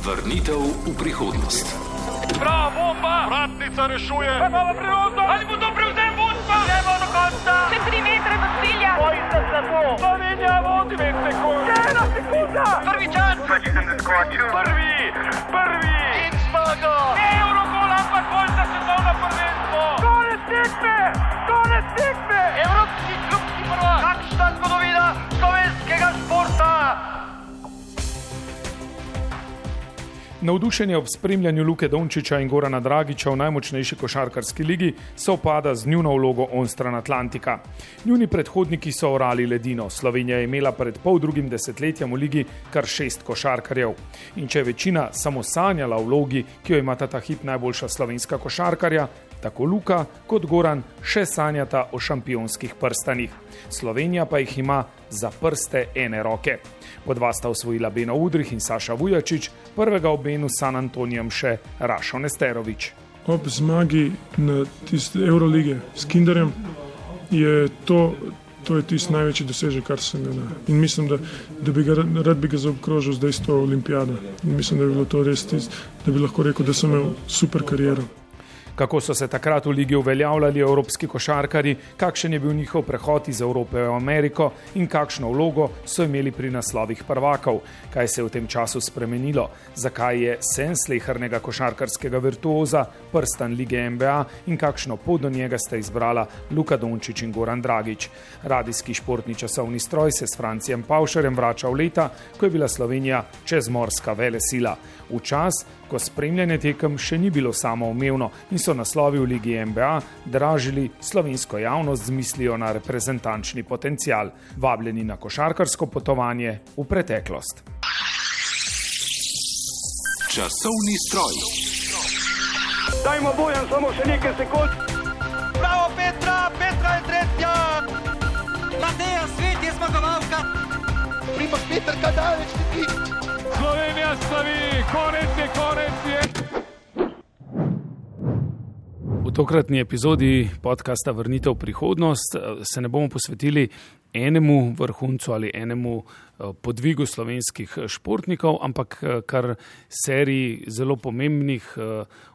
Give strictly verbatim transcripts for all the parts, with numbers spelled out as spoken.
Vrnitev v prihodnost. Bravo, bomba! Vratnica rešuje! Imamo priložnost! Ali bo to prevzem vodstva? Gremo do konca! Še tri metre do cilja! Bojite se to! Slovenija vodi dve sekunde! Ena sekunda! Prvi čas! Prvi! Prvi! In zmaga! Eurogol, ampak bolj za svetovno prvenstvo! Konec tekme! Konec tekme! Evropski klubski prvak! Kakšna zgodovina slovenskega športa! Navdušenje ob spremljanju Luke Dončića in Gorana Dragića v najmočnejši košarkarski ligi sovpada z njuno vlogo onstran Atlantika. Njuni predhodniki so orali ledino. Slovenija je imela pred pol drugim desetletjem v ligi kar šest košarkarjev. In če je večina samo sanjala o vlogi, ki jo imata ta hip najboljša slovenska košarkarja, tako Luka kot Goran še sanjata o šampionskih prstanih. Slovenija pa jih ima za prste ene roke. Po dva sta osvojila Beno Udrih in Saša Vujačić, prvega ob Benu s San Antonijem še Rašo Nesterović. Ob zmagi na tiste Eurolige s Kinderjem je to, to je tisti največji dosežek, kar se ne da. In mislim, da, da bi ga, rad bi ga zaobkrožil zdaj s to olimpijado. In mislim, da bi bilo to res tisto, da bi lahko rekel, da sem imel super kariero. Kako so se takrat v ligi uveljavljali evropski košarkari, kakšen je bil njihov prehod iz Evrope v Ameriko in kakšno vlogo so imeli pri naslovih prvakov, kaj se je v tem času spremenilo, zakaj je sen slehernega košarkarskega virtuoza prstan lige N B A in kakšno pot do njega sta izbrala Luka Dončić in Goran Dragić. Radijski športni časovni stroj se s Francijem Pavšarjem vrača v leta, ko je bila Slovenija čezmorska velesila. V čas, ko spremljanje tekem še ni bilo samoumevno in so naslovi v ligi N B A dražili slovensko javnost z mislijo na reprezentančni potencial, vabljeni na košarkarsko potovanje v preteklost. Časovni stroj. Dajmo Bojan samo še nekaj sekund. Bravo Petra, Petra je tretja. Mateja Svet je zmagovalka. Primož Peter Kadalec ti. Slovenija slavi, konec je, konec je. V tokratni epizodi podcasta Vrnitev v prihodnost se ne bomo posvetili enemu vrhuncu ali enemu podvigu slovenskih športnikov, ampak kar seriji zelo pomembnih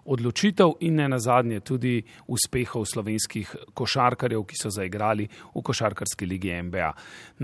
odločitev in ne nazadnje tudi uspehov slovenskih košarkarjev, ki so zaigrali v košarkarski ligi N B A.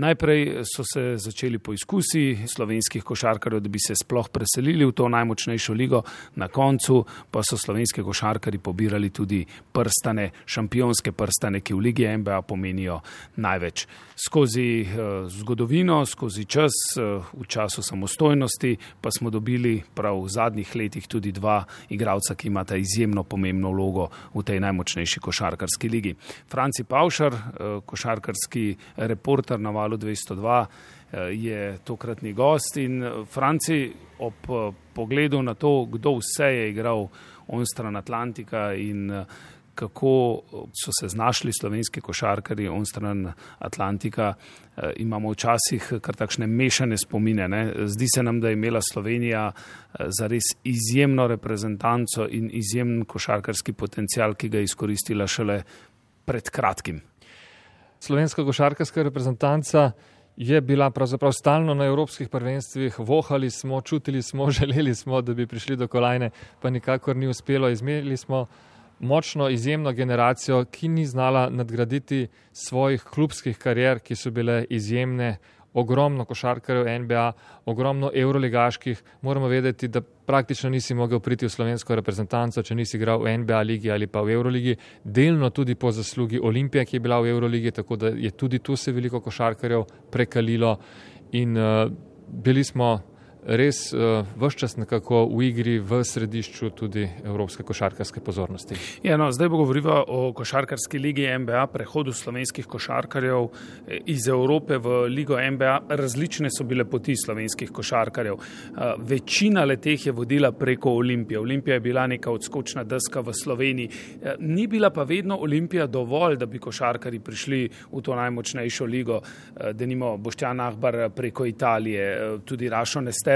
Najprej so se začeli poizkusi slovenskih košarkarjev, da bi se sploh preselili v to najmočnejšo ligo, na koncu pa so slovenski košarkarji pobirali tudi prstane, šampionske prstane, ki v ligi N B A pomenijo največ. Skozi zgodovino, skozi čas, v času samostojnosti pa smo dobili prav v zadnjih letih tudi dva igralca, ki imata izjemno pomembno vlogo v tej najmočnejši košarkarski ligi. Franci Pavšar, košarkarski reporter na Valu dvesto dva, je tokratni gost in Franci, ob pogledu na to, kdo vse je igral onstran Atlantika in kako so se znašli slovenski košarkarji onstran Atlantika, imamo včasih kar takšne mešane spomine. Ne? Zdi se nam, da je imela Slovenija zares izjemno reprezentanco in izjemen košarkarski potencial, ki ga je izkoristila šele pred kratkim. Slovenska košarkarska reprezentanca je bila pravzaprav stalno na evropskih prvenstvih, vohali smo, čutili smo, želeli smo, da bi prišli do kolajne, pa nikakor ni uspelo. Izmerili smo močno, izjemno generacijo, ki ni znala nadgraditi svojih klubskih karier, ki so bile izjemne, ogromno košarkarjev N B A, ogromno evroligaških. Moramo vedeti, da praktično nisi mogel priti v slovensko reprezentanco, če nisi igral v N B A ligi ali pa v Euroligi, delno tudi po zaslugi Olimpije, ki je bila v Euroligi, tako da je tudi tu se veliko košarkarjev prekalilo in uh, bili smo res uh, ves čas nekako v igri, v središču tudi evropske košarkarske pozornosti. Ja, no, zdaj bo govoriva o košarkarski ligi N B A, prehodu slovenskih košarkarjev iz Evrope v ligo N B A. Različne so bile poti slovenskih košarkarjev. Uh, večina leteh je vodila preko Olimpije. Olimpija je bila neka odskočna deska v Sloveniji. Uh, ni bila pa vedno Olimpija dovolj, da bi košarkarji prišli v to najmočnejšo ligo. Uh, denimo Boštjan Ahbar preko Italije, uh, tudi Rašo Nesterović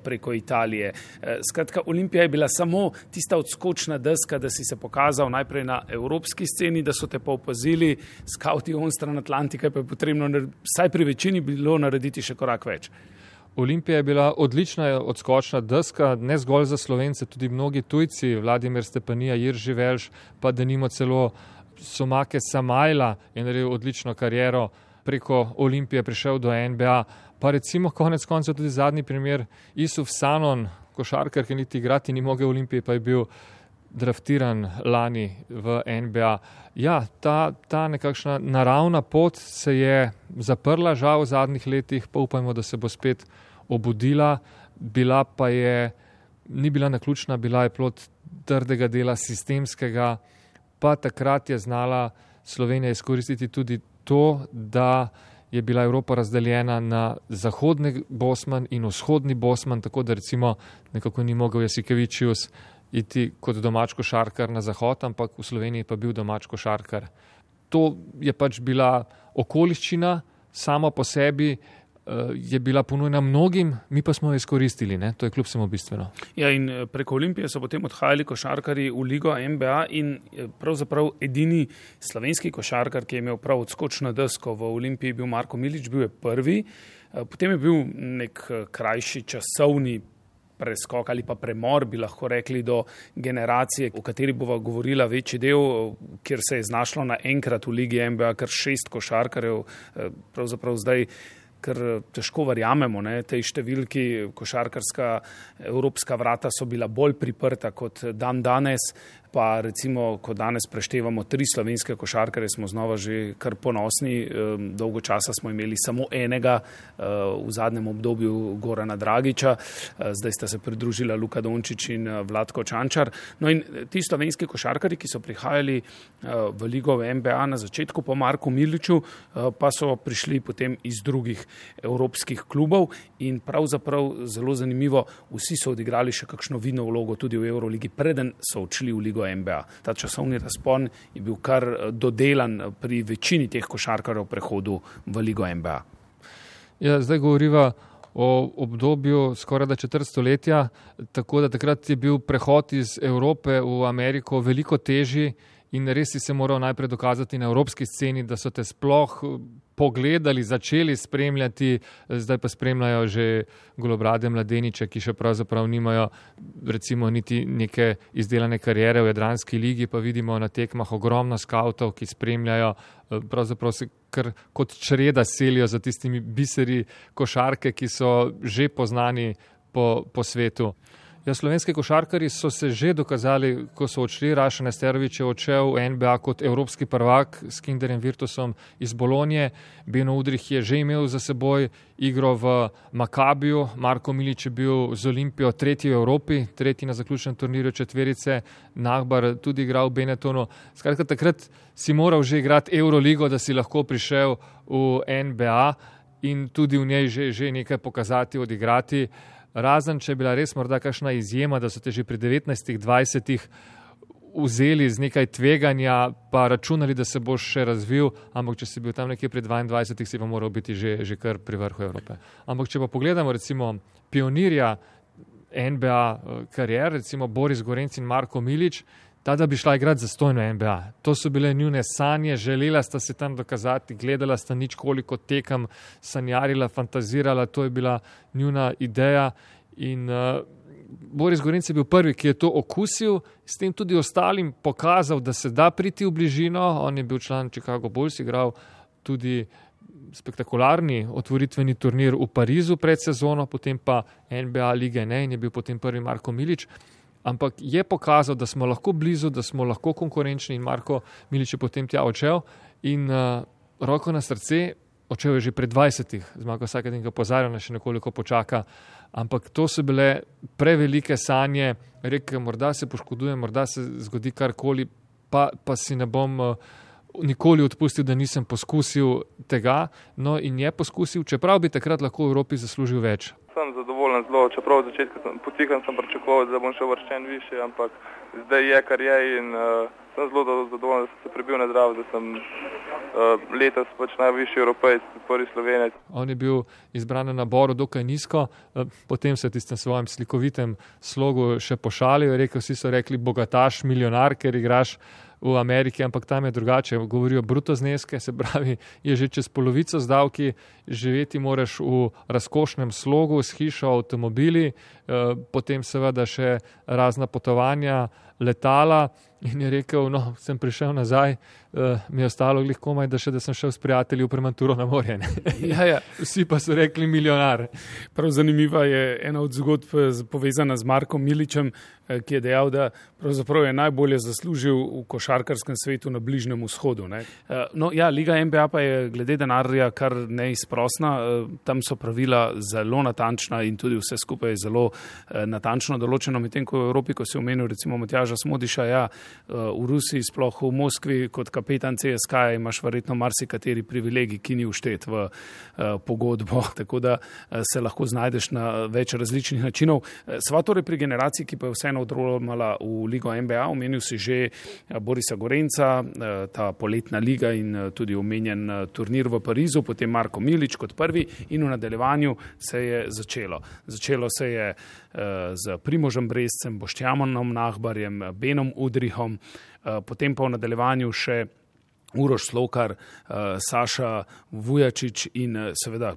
preko Italije. Skratka, Olimpija je bila samo tista odskočna deska, da si se pokazal najprej na evropski sceni, da so te pa opazili, skauti onstran Atlantika, pa je potrebno vsaj pri večini bilo narediti še korak več. Olimpija je bila odlična odskočna deska, ne zgolj za Slovence, tudi mnogi tujci, Vladimir Stepanija, Jirži Velš, pa denimo celo Somake Samajla je naredil odlično kariero, preko Olimpije prišel do N B A, pa recimo konec koncev tudi zadnji primer Isuf Sanon, košarkar, ki niti igrati ni mogel v Olimpiji, pa je bil draftiran lani v N B A. Ja, ta, ta nekakšna naravna pot se je zaprla žal v zadnjih letih, pa upajmo, da se bo spet obudila, bila pa je, ni bila naključna, bila je plod trdega dela sistemskega, pa takrat je znala Slovenija izkoristiti tudi to, da je bila Evropa razdeljena na zahodni Bosman in vzhodni Bosman, tako da recimo nekako ni mogel Jasikevičius iti kot domač košarkar na zahod, ampak v Sloveniji pa bil domač košarkar. To je pač bila okoliščina, sama po sebi je bila ponujena mnogim, mi pa smo jo izkoristili, ne? To je kljub vsemu bistveno. Ja, in preko Olimpije so potem odhajali košarkari v ligo N B A in pravzaprav edini slovenski košarkar, ki je imel prav odskočno desko v Olimpiji, bil Marko Milič, bil je prvi, potem je bil nek krajši časovni preskok ali pa premor, bi lahko rekli, do generacije, o kateri bova govorila večji del, kjer se je znašlo naenkrat v ligi N B A kar šest košarkarjev, pravzaprav zdaj ker težko verjamemo, ne, tej številki, košarkarska evropska vrata so bila bolj priprta kot dan danes, pa recimo, ko danes preštevamo tri slovenske košarkare, smo znova že kar ponosni, dolgo časa smo imeli samo enega, v zadnjem obdobju Gorana Dragiča, zdaj sta se pridružila Luka Dončić in Vlatko Čančar. No in ti slovenski košarkari, ki so prihajali v ligo v N B A na začetku po Marku Miliču, pa so prišli potem iz drugih evropskih klubov in pravzaprav zelo zanimivo, vsi so odigrali še kakšno vidno vlogo tudi v Euroligi, preden so odšli v ligo N B A. Ta časovni razpon je bil kar dodelan pri večini teh košarkarjev prehodu v ligo N B A. Ja, zdaj govoriva o obdobju skoraj da četrt stoletja, tako da takrat je bil prehod iz Evrope v Ameriko veliko težji in res si se moral najprej dokazati na evropski sceni, da so te sploh pogledali, začeli spremljati, zdaj pa spremljajo že golobrade mladeniče, ki še pravzaprav nimajo recimo niti neke izdelane karijere v Jadranski ligi, pa vidimo na tekmah ogromno skavtov, ki spremljajo, pravzaprav se kar kot čreda selijo za tistimi biseri košarke, ki so že poznani po, po svetu. Ja, slovenski košarkari so se že dokazali, ko so odšli. Raša Nesterović je odšel v N B A kot evropski prvak s Kinderjem Virtusom iz Bolonje. Beno Udrih je že imel za seboj igro v Makabiju. Marko Milič je bil z Olimpijo tretji v Evropi, tretji na zaključnem turnirju četverice. Nahbar tudi igral v Benettonu. Skratka, takrat si moral že igrati Euroligo, da si lahko prišel v N B A in tudi v njej že, že nekaj pokazati, odigrati. Razen, če je bila res morda kakšna izjema, da so te že pri devetnajstih, dvajsetih vzeli z nekaj tveganja, pa računali, da se boš še razvil, ampak če si bil tam nekje pri dvaindvajsetih, si pa moral biti že, že kar pri vrhu Evrope. Ampak če pa pogledamo recimo pionirja N B A karier, recimo Boris Gorenc in Marko Milič, ta, da bi šla igrati zastojno N B A. To so bile njune sanje, želela sta se tam dokazati, gledala sta nič koliko tekem, sanjarila, fantazirala, to je bila njuna ideja in uh, Boris Gorenc je bil prvi, ki je to okusil, s tem tudi ostalim pokazal, da se da priti v bližino. On je bil član Chicago Bulls, igral tudi spektakularni otvoritveni turnir v Parizu pred sezono, potem pa N B A lige ne in je bil potem prvi Marko Milič. Ampak je pokazal, da smo lahko blizu, da smo lahko konkurenčni in Marko Milič je potem tja odšel in uh, roko na srce, odšel je že pred dvajsetih, Zmago Sagadin ga pozarjal, še nekoliko počaka, ampak to so bile prevelike sanje, rekel, morda se poškodujem, morda se zgodi karkoli, pa, pa si ne bom uh, nikoli odpustil, da nisem poskusil tega, no in je poskusil, čeprav bi takrat lahko v Evropi zaslužil več. Sem zadovoljen zelo, čeprav v začetku sem, potihan sem pričakoval, da bom še vrščen više, ampak zdaj je, kar je in uh, sem zelo zadovoljen, da sem se prebil na zdrav, da sem uh, letos pač najvišji Evropejc, prvi Slovenec. On je bil izbran na naboru dokaj nizko, uh, potem se je tistem svojem slikovitem slogu še pošalil, rekel, vsi so rekli bogataš, milijonar, ker igraš v Ameriki, ampak tam je drugače. Govorijo bruto zneske, se pravi, je že čez polovico z davki, živeti moraš v razkošnem slogu, s hišo, avtomobili, potem seveda še razna potovanja, letala. In je rekel, no, sem prišel nazaj, uh, mi je ostalo glih komaj, da še da sem šel s prijatelji v Prematuro na morje. Ja, ja. Vsi pa so rekli milijonar. Prav zanimiva je ena od zgodb povezana z Markom Miličem, ki je dejal, da pravzaprav je najbolje zaslužil v košarkarskem svetu na Bližnjem vzhodu. Ne? No, ja, Liga N B A pa je glede denarja kar neizprosna. Tam so pravila zelo natančna in tudi vse skupaj je zelo natančno določeno. Medtem ko v Evropi, ko si omenil recimo Matjaža Smodiša, ja, v Rusiji, sploh v Moskvi, kot kapetan C S K A imaš verjetno marsikateri privilegij, ki ni vštet v pogodbo, tako da se lahko znajdeš na več različnih načinov. Sva torej pri generaciji, ki pa je vseeno odrolala v Ligo N B A, omenil si že Borisa Gorenca, ta poletna liga in tudi omenjen turnir v Parizu, potem Marko Milič kot prvi in v nadaljevanju se je začelo. Začelo se je z Primožem Brezcem, Boštjanom Nahbarjem, Benom Udrihom, potem pa v nadaljevanju še Uroš Slokar, Saša Vujačič in seveda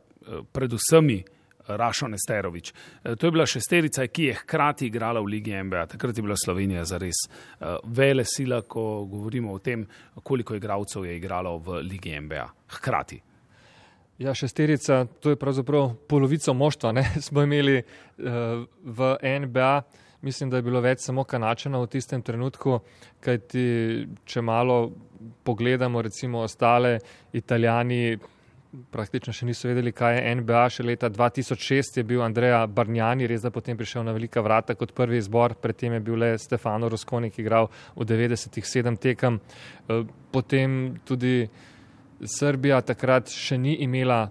predvsemi Rašo Nesterović. To je bila šesterica, ki je hkrati igrala v Ligi N B A. Takrat je bila Slovenija zares vele sila, ko govorimo o tem, koliko igralcev je igralo v Ligi N B A. Hkrati. Ja, šesterica, to je pravzaprav polovico moštva, ne, smo imeli uh, v N B A. Mislim, da je bilo več samo Kanačanov v tistem trenutku, kajti če malo pogledamo recimo ostale Italijani, praktično še niso vedeli, kaj je N B A. Še leta dva tisoč šest je bil Andrea Bargnani, res da potem prišel na velika vrata kot prvi izbor, predtem je bil le Stefano Rosconi, ki igral v devetdesetih sedem tekem. Potem tudi Srbija takrat še ni imela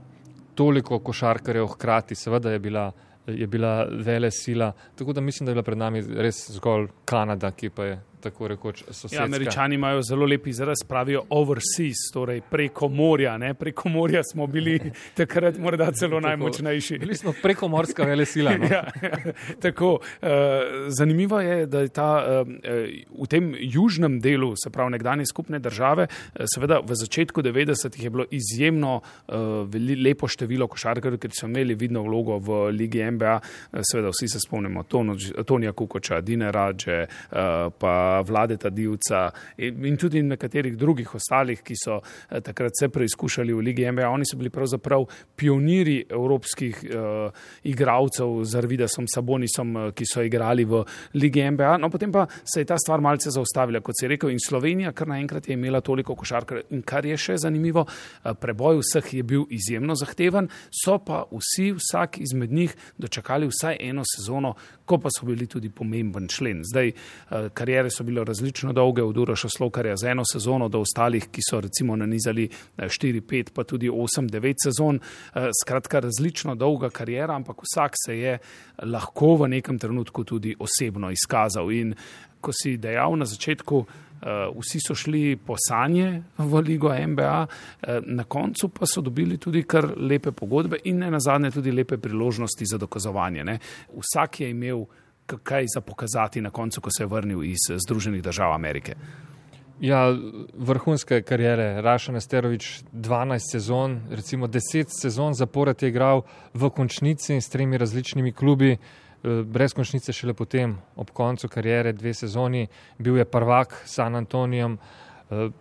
toliko košarkarjev hkrati, seveda je bila, je bila vele sila, tako da mislim, da je bila pred nami res zgolj Kanada, ki pa je tako rekoč sosedska. Ja, Američani imajo zelo lep izraz, pravijo overseas, torej preko morja, ne? Preko morja smo bili takrat morda celo najmočnejši. Bili smo prekomorska velesila. No? Ja, tako, uh, zanimivo je, da je ta uh, v tem južnem delu, se pravi nekdanje skupne države, uh, seveda v začetku devetdesetih je bilo izjemno uh, lepo število košarkarjev, ker so imeli vidno vlogo v Ligi N B A, uh, seveda vsi se spomnimo Tonija Kukoča, Dine Radže, uh, pa Vladeta Divca in tudi nekaterih drugih ostalih, ki so takrat se preizkušali v Ligi N B A. Oni so bili pravzaprav pioniri evropskih uh, igralcev z Arvidasom Sabonisom, ki so igrali v Ligi N B A. No, potem pa se je ta stvar malce zaustavila, kot si rekel, in Slovenija kar naenkrat je imela toliko košarkarjev. In kar je še zanimivo, preboj vseh je bil izjemno zahteven, so pa vsi, vsak izmed njih dočakali vsaj eno sezono, ko pa so bili tudi pomemben člen. Zdaj, karijere so bile različno dolge, od Uroša Slokarja za eno sezono do ostalih, ki so recimo nanizali štiri, pet, pa tudi osem, devet sezon. Skratka, različno dolga karijera, ampak vsak se je lahko v nekem trenutku tudi osebno izkazal. In ko si dejal na začetku, vsi so šli po sanje v Ligo N B A, na koncu pa so dobili tudi kar lepe pogodbe in ne nazadnje tudi lepe priložnosti za dokazovanje. Ne? Vsak je imel kaj za pokazati na koncu, ko se je vrnil iz Združenih držav Amerike. Ja, vrhunske karijere. Rašo Nesterović dvanajst sezon, recimo deset sezon zapored je igral v končnici s tremi različnimi klubi, brez končnice šele potem, ob koncu karijere, dve sezoni, bil je prvak s San Antonijem,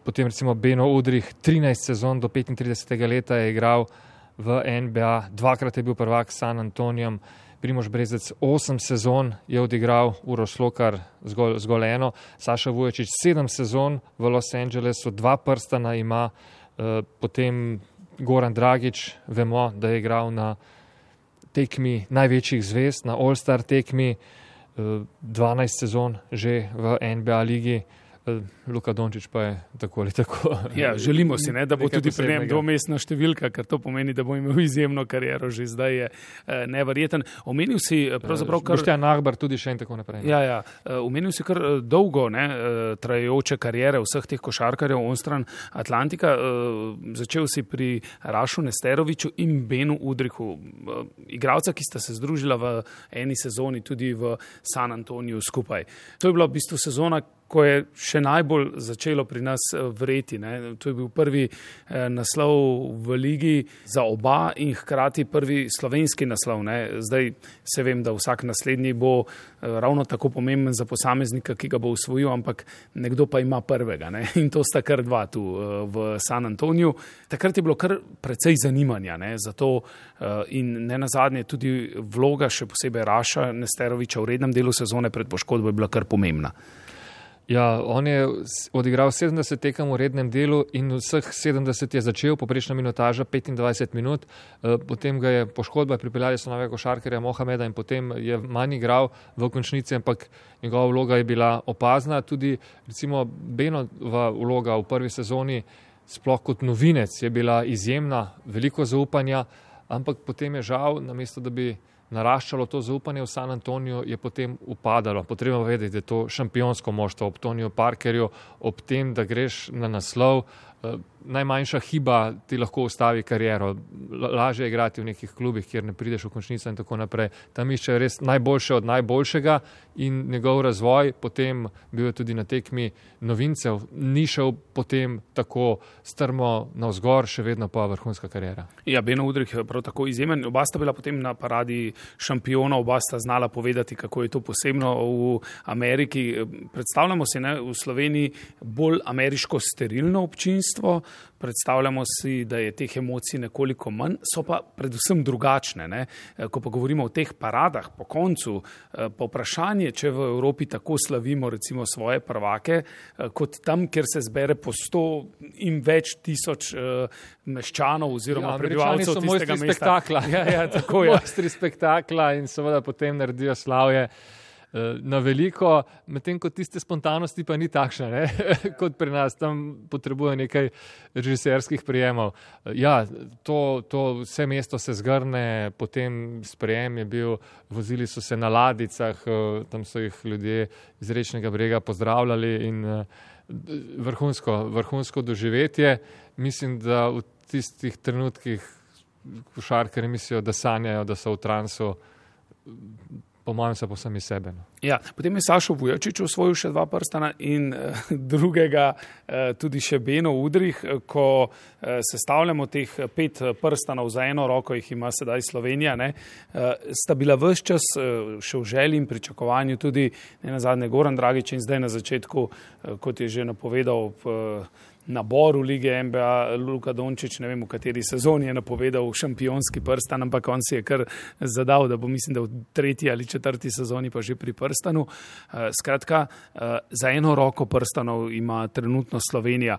potem recimo Beno Udrih, trinajst sezon do petintridesetega leta je igral v N B A, dvakrat je bil prvak s San Antonijem, Primož Brezec osem sezon je odigral, Uroš Slokar zgolj, zgolj eno, Saša Vujačić sedem sezon v Los Angelesu, dva prstana ima, eh, potem Goran Dragić, vemo, da je igral na tekmi največjih zvezd, na All-Star tekmi, eh, dvanajst sezon že v N B A ligi. Luka Dončić pa je tako ali tako. Ja, želimo si, ne, da bo tudi pri njem dvomestna številka, ker to pomeni, da bo imel izjemno kariero, že zdaj je eh, neverjeten. Omenil si pravzaprav kar... Boštjan Nahbar tudi še in tako naprej. Ja, ja. Omenil si kar dolgo, ne, trajajoče karijere vseh teh košarkarjev onstran Atlantika. Začel si pri Rašu Nesteroviću in Benu Udrihu. Igralca, ki sta se združila v eni sezoni tudi v San Antoniju skupaj. To je bila v bistvu sezona, ko je še najbolj začelo pri nas vreti. Ne. To je bil prvi eh, naslov v ligi za oba in hkrati prvi slovenski naslov. Ne. Zdaj se vem, da vsak naslednji bo eh, ravno tako pomemben za posameznika, ki ga bo osvojil, ampak nekdo pa ima prvega. Ne. In to sta kar dva tu eh, v San Antoniju. Takrat je bilo kar precej zanimanja ne, za to eh, in ne nazadnje tudi vloga še posebej Raša Nesteroviča v rednem delu sezone pred poškodbo je bila kar pomembna. Ja, on je odigral sedemdeset tekem v rednem delu in vseh sedemdeset je začel, poprečna minutaža petindvajset minut, potem ga je poškodba, pripeljali so novega košarkarja Mohameda in potem je manj igral v končnici, ampak njegova vloga je bila opazna. Tudi recimo Benova vloga v prvi sezoni, sploh kot novinec, je bila izjemna, veliko zaupanja, ampak potem je žal, namesto da bi naraščalo to zaupanje v San Antoniju, je potem upadalo. Potrebno vedeti, da je to šampionsko moštvo ob Toniju Parkerju, ob tem, da greš na naslov. Najmanjša hiba ti lahko ustavi kariero. Lažje je igrati v nekih klubih, kjer ne prideš v končnico in tako naprej. Tam išče res najboljše od najboljšega in njegov razvoj, potem bil je tudi na tekmi novincev, ni šel potem tako strmo navzgor, še vedno pa vrhunska kariera. Ja, Beno Udrih je prav tako izjemen. Oba sta bila potem na paradi šampiona, oba sta znala povedati, kako je to posebno v Ameriki. Predstavljamo si ne, v Sloveniji bolj ameriško sterilno občinstvo, predstavljamo si, da je teh emocij nekoliko manj, so pa predvsem drugačne. Ne? Ko pa govorimo o teh paradah po koncu, pa vprašanje, če v Evropi tako slavimo recimo svoje prvake, kot tam, kjer se zbere po sto in več tisoč meščanov oziroma ja, prebivalcev tistega mesta. Spektakla. Ja, ja, tako je. Mojstri spektakla in seveda potem naredijo slavje na veliko, medtem kot tiste spontanosti pa ni takšna, ne? Kot pri nas, tam potrebuje nekaj režiserskih prijemov. Ja, to, to vse mesto se zgrne, potem sprejem je bil, vozili so se na ladicah, tam so jih ljudje iz Rečnega brega pozdravljali in vrhunsko, vrhunsko doživetje. Mislim, da v tistih trenutkih košarkarji mislijo, da sanjajo, da so v transu, po mojem se posem iz sebe. No. Ja, potem je Sašo Vujačič osvojil še dva prstana in eh, drugega eh, tudi še Beno Udrih. Ko eh, sestavljamo teh pet prstanov za eno roko, jih ima sedaj Slovenija, ne, eh, sta bila ves čas eh, še v želji in pričakovanju tudi ne nazadnje Goran Dragić in zdaj na začetku, eh, kot je že napovedal eh, naboru lige N B A Luka Dončić, ne vem v kateri sezoni je napovedal šampionski prstan, ampak on si je kar zadal, da bo mislim, da v tretji ali četrti sezoni pa že pri prstanu. Skratka, za eno roko prstanov ima trenutno Slovenija.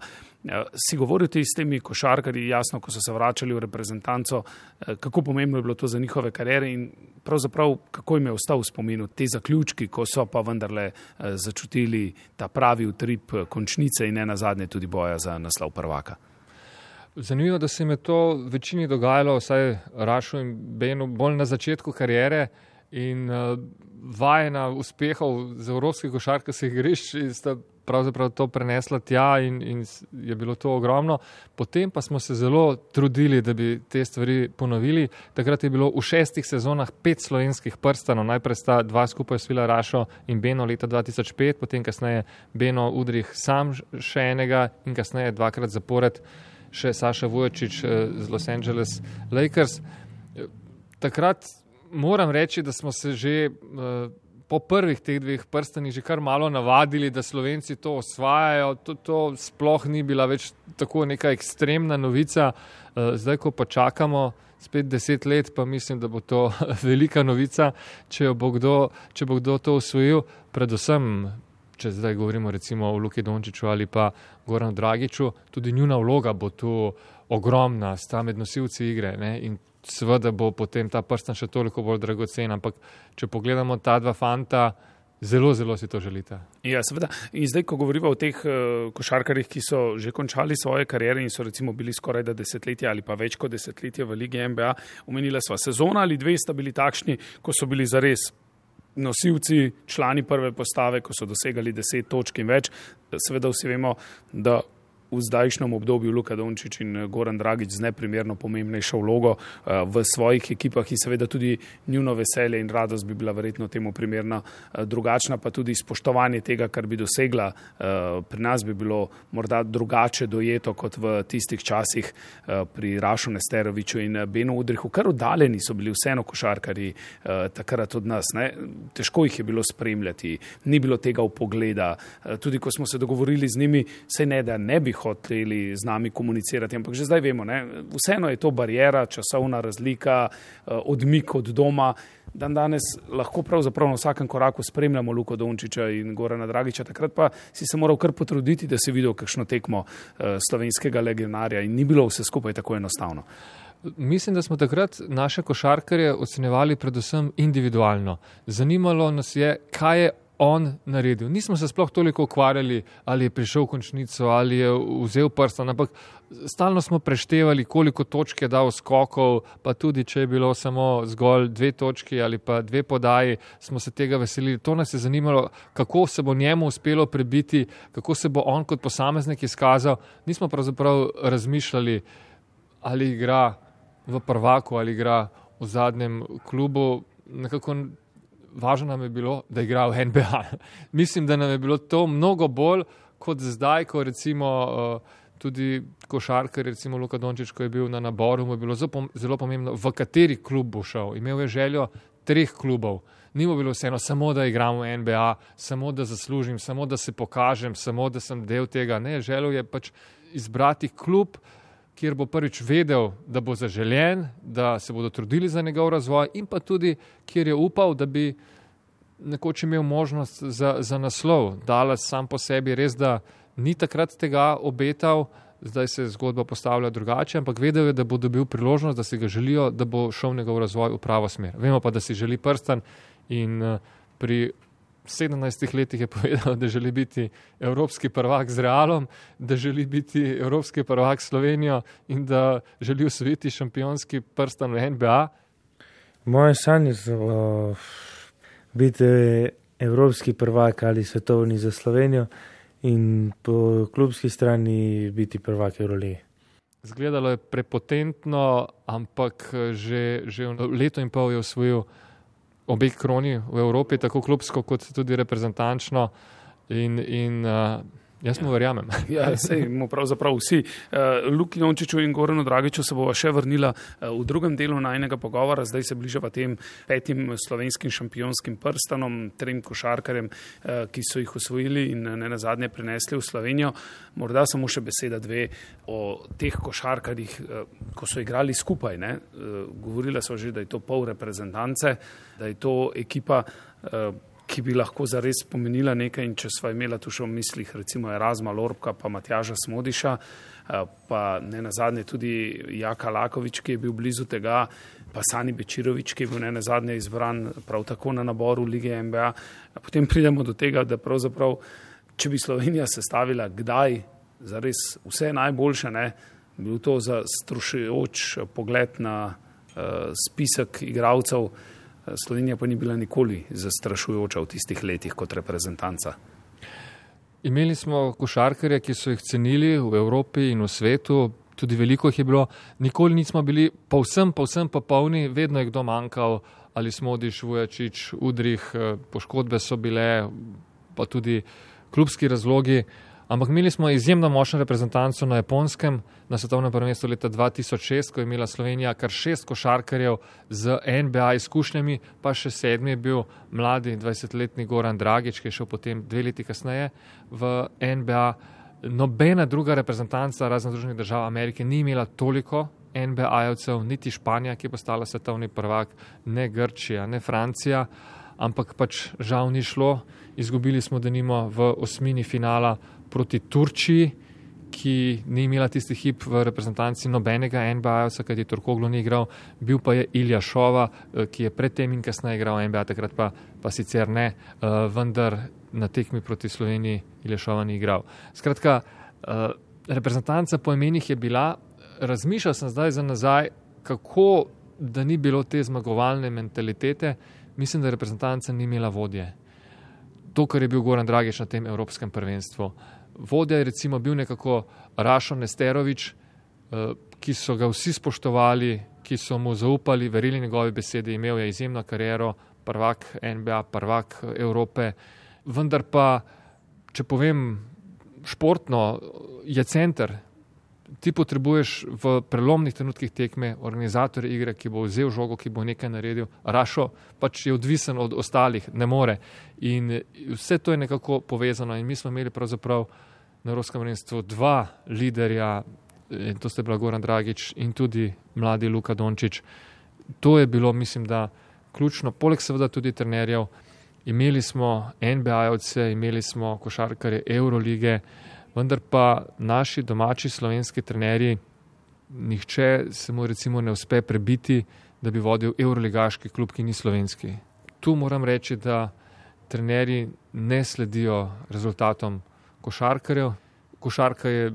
Si govoril ti s temi košarkarji, jasno, ko so se vračali v reprezentanco, kako pomembno je bilo to za njihove kariere in pravzaprav kako jim je ostal v spominu te zaključki, ko so pa vendarle začutili ta pravi utrip končnice in ne nazadnje tudi boja za naslov prvaka. Zanimivo, da se jim je to večini dogajalo, vsaj Rašu in Benu, bolj na začetku kariere in uh, vajena uspehov z evropskih košarkarskih igrišč sta pravzaprav to prenesla tja in, in je bilo to ogromno. Potem pa smo se zelo trudili, da bi te stvari ponovili. Takrat je bilo v šestih sezonah pet slovenskih prstanov. Najprej sta dva skupaj osvojila Rašo in Beno leta dva tisoč pet, potem kasneje Beno Udrih sam še enega in kasneje dvakrat zapored še Saša Vujačič z Los Angeles Lakers. Takrat moram reči, da smo se že uh, po prvih teh dveh prstanih že kar malo navadili, da Slovenci to osvajajo. To, to sploh ni bila več tako neka ekstremna novica. Zdaj, ko pa čakamo spet deset let, pa mislim, da bo to velika novica, če bo kdo, če bo kdo to osvojil. Predvsem, če zdaj govorimo recimo o Luki Dončiću ali pa Goranu Dragiću, tudi njuna vloga bo tu ogromna, sta med nosilci igre, ne? In seveda bo potem ta prstan še toliko bolj dragocen, ampak če pogledamo ta dva fanta, zelo, zelo si to želite. Ja, seveda. In zdaj, ko govorimo o teh uh, košarkarjih, ki so že končali svoje kariere in so recimo bili skoraj da desetletje ali pa več kot desetletje v ligi N B A, omenila sva sezona ali dve sta bili takšni, ko so bili zares nosilci, člani prve postave, ko so dosegali deset točk in več. Seveda vsi vemo, da v zdajšnjem obdobju Luka Dončić in Goran Dragić z neprimerno pomembnejšo vlogo v svojih ekipah in seveda tudi njuno veselje in radost bi bila verjetno temu primerna drugačna, pa tudi spoštovanje tega, kar bi dosegla. Pri nas bi bilo morda drugače dojeto kot v tistih časih pri Rašu Nesteroviću in Benu Udrihu. Kar oddaljeni so bili vseeno košarkarji takrat od nas. Ne? Težko jih je bilo spremljati, ni bilo tega vpogleda. Tudi ko smo se dogovorili z njimi, saj ne, da ne bi hoteli z nami komunicirati, ampak že zdaj vemo, ne? Vseeno je to barijera, časovna razlika, odmik od doma. Dan danes lahko pravzaprav na vsakem koraku spremljamo Luko Dončića in Gorana Dragića, takrat pa si se moral kar potruditi, da si videl kakšno tekmo slovenskega legionarja in ni bilo vse skupaj tako enostavno. Mislim, da smo takrat naše košarkarje ocenjevali predvsem individualno. Zanimalo nas je, kaj je on naredil. Nismo se sploh toliko ukvarjali, ali je prišel v končnico, ali je vzel prstan, ampak stalno smo preštevali, koliko točk je dal skokov, pa tudi, če je bilo samo zgolj dve točki ali pa dve podaji, smo se tega veselili. To nas je zanimalo, kako se bo njemu uspelo prebiti, kako se bo on kot posameznik izkazal. Nismo pravzaprav razmišljali, ali igra v prvaku, ali igra v zadnjem klubu. Nekako važno nam je bilo, da igra v N B A. Mislim, da nam je bilo to mnogo bolj kot zdaj, ko recimo tudi košarkar, recimo Luka Dončić, ko je bil na naboru, mu je bilo zelo pomembno, v kateri klub bo šel. Imel je željo treh klubov. Ni mu bilo vseeno samo, da igram v N B A, samo da zaslužim, samo da se pokažem, samo da sem del tega. Ne, želel je pač izbrati klub, kjer bo prvič vedel, da bo zaželjen, da se bodo trudili za njegov razvoj in pa tudi, kjer je upal, da bi nekoč imel možnost za, za naslov. Dallas sam po sebi res, da ni takrat tega obetal, zdaj se zgodba postavlja drugače, ampak vedel je, da bo dobil priložnost, da si ga želijo, da bo šel njegov razvoj v pravo smer. Vemo pa, da si želi prstan in pri sedemnajstih letih je povedal, da želi biti evropski prvak z Realom, da želi biti evropski prvak s Slovenijo in da želi osvojiti šampionski prstan v N B A. Moje sanje so uh, biti evropski prvak ali svetovni za Slovenijo in po klubski strani biti prvak Evrolige. Zgledalo je prepotentno, ampak že, že leto in pol je osvojil obe kroni v Evropi, tako klubsko kot tudi reprezentančno in, in uh, jaz mu verjamem. Ja, sej mu pravzaprav vsi. Uh, Luki Dončiću in Goranu Dragiću se bova še vrnila uh, v drugem delu najnega pogovora, zdaj se bližava tem petim slovenskim šampionskim prstanom, trem košarkarjem, uh, ki so jih osvojili in ne nazadnje prinesli v Slovenijo. Morda samo še beseda dve o teh košarkarjih, uh, ko so igrali skupaj. Ne? Uh, govorila so že, da je to pol reprezentance, da je to ekipa, uh, ki bi lahko zares pomenila nekaj in če sva imela tu še v mislih recimo Erasma Lorbka pa Matjaža Smodiša, pa ne nazadnje tudi Jaka Laković, ki je bil blizu tega, pa Sani Bečirović, ki je bil ne nazadnje izbran prav tako na naboru Lige N B A. Potem pridemo do tega, da pravzaprav, če bi Slovenija sestavila kdaj zares vse najboljše, ne, bil to zastrašujoč pogled na uh, spisek igralcev. Slovenija pa ni bila nikoli zastrašujoča v tistih letih kot reprezentanca. Imeli smo košarkarje, ki so jih cenili v Evropi in v svetu, tudi veliko jih je bilo. Nikoli nismo bili povsem, povsem popolni, vedno je kdo manjkal, ali Smodiš, Vujačić, Udrih, poškodbe so bile, pa tudi klubski razlogi. Ampak imeli smo izjemno močno reprezentanco na Japonskem, na svetovnem prvenstvu leta dva tisoč šest, ko je imela Slovenija kar šest košarkarjev z N B A izkušnjami, pa še sedmi je bil mladi dvajsetletni Goran Dragić, ki je šel potem dve leti kasneje v N B A. Nobena druga reprezentanca razen Združenih držav Amerike ni imela toliko N B A-jevcev, niti Španija, ki je postala svetovni prvak, ne Grčija, ne Francija, ampak pač žal ni šlo. Izgubili smo denimo v osmini finala proti Turčiji, ki ni imela tisti hip v reprezentanci nobenega N B A-jevca, kajti Turkoglu ni igral, bil pa je Ilja Šova, ki je predtem in kasneje igral N B A, takrat pa, pa sicer ne, vendar na tekmi proti Sloveniji Ilja Šova ni igral. Skratka, reprezentanca po imenih je bila, razmišljal sem zdaj za nazaj, kako da ni bilo te zmagovalne mentalitete, mislim, da reprezentanca ni imela vodje. To, kar je bil Goran Dragić na tem evropskem prvenstvu. Vodja je recimo bil nekako Rašo Nesterovič, ki so ga vsi spoštovali, ki so mu zaupali, verili njegove besede, imel je izjemno kariero, prvak N B A, prvak Evrope, vendar pa, če povem športno, je center. Ti potrebuješ v prelomnih trenutkih tekme organizatorja igre, ki bo vzel žogo, ki bo nekaj naredil. Rašo pač je odvisen od ostalih, ne more. In vse to je nekako povezano in mi smo imeli pravzaprav na Evropskem prvenstvu dva liderja, in to sta bila Goran Dragič in tudi mladi Luka Dončić. To je bilo, mislim, da ključno, poleg seveda tudi trenerjev. Imeli smo N B A-jevce, imeli smo košarkarje Eurolige, vendar pa naši domači slovenski trenerji, nihče se mu recimo ne uspe prebiti, da bi vodil euroligaški klub, ki ni slovenski. Tu moram reči, da trenerji ne sledijo rezultatom košarkarjev. Košarka je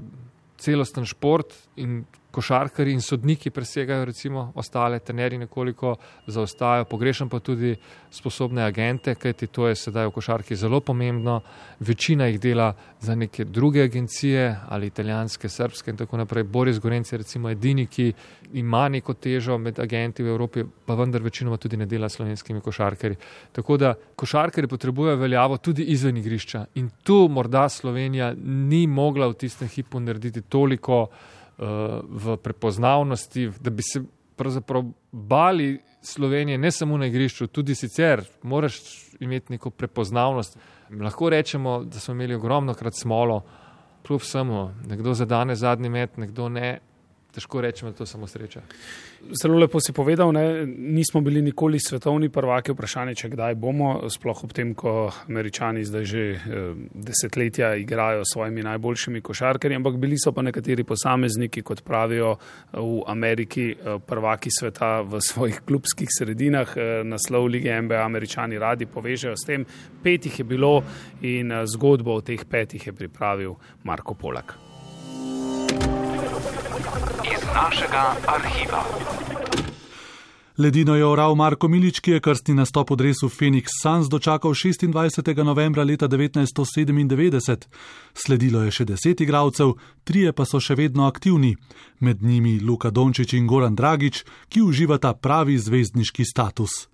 celosten šport in košarkarji in sodniki presegajo recimo ostale, trenerji nekoliko zaostajajo, pogrešam pa tudi sposobne agente, kajti to je sedaj v košarki zelo pomembno. Večina jih dela za neke druge agencije ali italijanske, srpske in tako naprej. Boris Gorenc je recimo edini, ki ima neko težo med agenti v Evropi, pa vendar večinoma tudi ne dela s slovenskimi košarkarji. Tako da košarkarji potrebujejo veljavo tudi izven igrišča in tu morda Slovenija ni mogla v tistem hipu narediti toliko v prepoznavnosti, da bi se pravzaprav bali Slovenije ne samo na igrišču, tudi sicer moraš imeti neko prepoznavnost. Lahko rečemo, da smo imeli ogromno krat smolo, kljub vsemu, nekdo zadane zadnji met, nekdo ne, težko rečemo, da to samo sreča. Zelo lepo si povedal, ne? Nismo bili nikoli svetovni prvaki, vprašanje, če kdaj bomo, sploh ob tem, ko Američani zdaj že eh, desetletja igrajo s svojimi najboljšimi košarkarji, ampak bili so pa nekateri posamezniki, kot pravijo v Ameriki, eh, prvaki sveta v svojih klubskih sredinah. Eh, naslov lige N B A Američani radi povežejo s tem. Petih je bilo in eh, zgodbo o teh petih je pripravil Marko Polak. Našega arhiva. Ledino je oral Marko Milič, ki je krstni nastop v dresu Phoenix Suns dočakal šestindvajsetega novembra leta devetnajststo sedemindevetdeset. Sledilo je še deset igralcev, trije pa so še vedno aktivni. Med njimi Luka Dončić in Goran Dragić, ki uživata pravi zvezdniški status.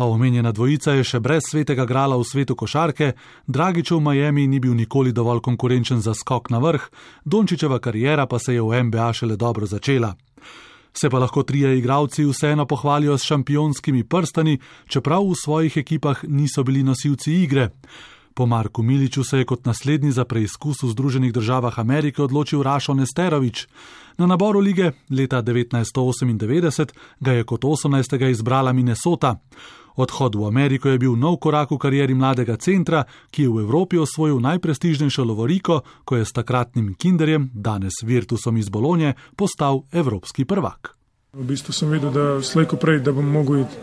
A omenjena dvojica je še brez svetega grala v svetu košarke, Dragićev v Miami ni bil nikoli dovolj konkurenčen za skok na vrh, Dončićeva kariera pa se je v N B A šele dobro začela. Se pa lahko trije igralci vseeno pohvalijo s šampionskimi prstani, čeprav v svojih ekipah niso bili nosilci igre. Po Marku Miliču se je kot naslednji za preizkus v Združenih državah Amerike odločil Rašo Nesterovič. Na naboru lige leta devetnajststo osemindevetdeset ga je kot osemnajstega izbrala Minnesota. Odhod v Ameriko je bil nov korak v karieri mladega centra, ki je v Evropi osvojil najprestižnejšo lovoriko, ko je s takratnim Kinderjem, danes Virtusom iz Bolonje, postal evropski prvak. V bistvu sem vedel, da slej ko prej, da bom mogel iti,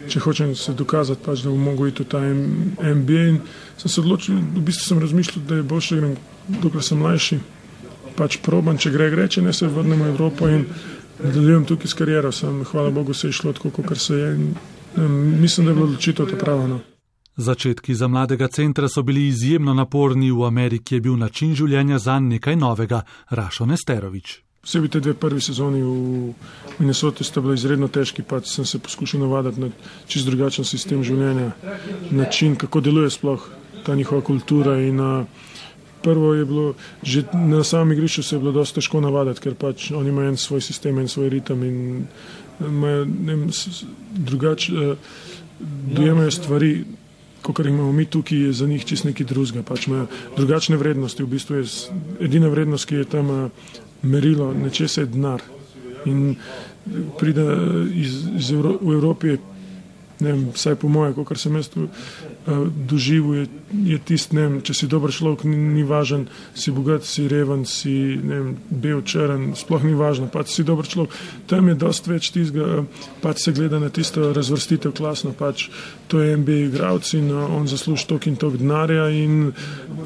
če hočem se dokazati, pač, da bom mogel iti v ta N B A in sem se odločil, v bistvu sem razmišljal, da je boljše, grem, dokler sem mlajši, pač proban, če gre, gre, če ne se vrnem v Evropo in nadaljujem tukaj s kariero. Sem, hvala Bogu, se je šlo tako, kot se je in mislim, da je bilo odločitev ta prava. No. Začetki za mladega centra so bili izjemno naporni, v Ameriki je bil način življenja zanj nekaj novega. Rašo Nesterovič. Vsebi te dve prvi sezoni v Minnesoti sta bila izredno težki, pa sem se poskušal navaditi na čist drugačen sistem življenja, način, kako deluje sploh ta njihova kultura in uh, prvo je bilo, že na samem igrišču se je bilo dosti težko navaditi, ker pač oni imajo en svoj sistem, en svoj ritem in imajo drugače, uh, dojemajo stvari, kot imamo mi tukaj, je za njih čist neki drugega, pač imajo drugačne vrednosti, v bistvu je edina vrednost, ki je tam uh, merilo, nečesa je denar in pride iz, iz Evro, v Evropi, ne vem, vsaj po moje, kot sem jaz tu uh, doživel, je, je tist, ne vem, če si dober človek, ni, ni važen, si bogat, si reven, si, ne vem, bel, črn, sploh ni važno, pač si dober človek. Tam je dost več tistega, pač se gleda na tisto razvrstitev klasno, pač to je N B A igralec in uh, on zasluži tok in tok denarja in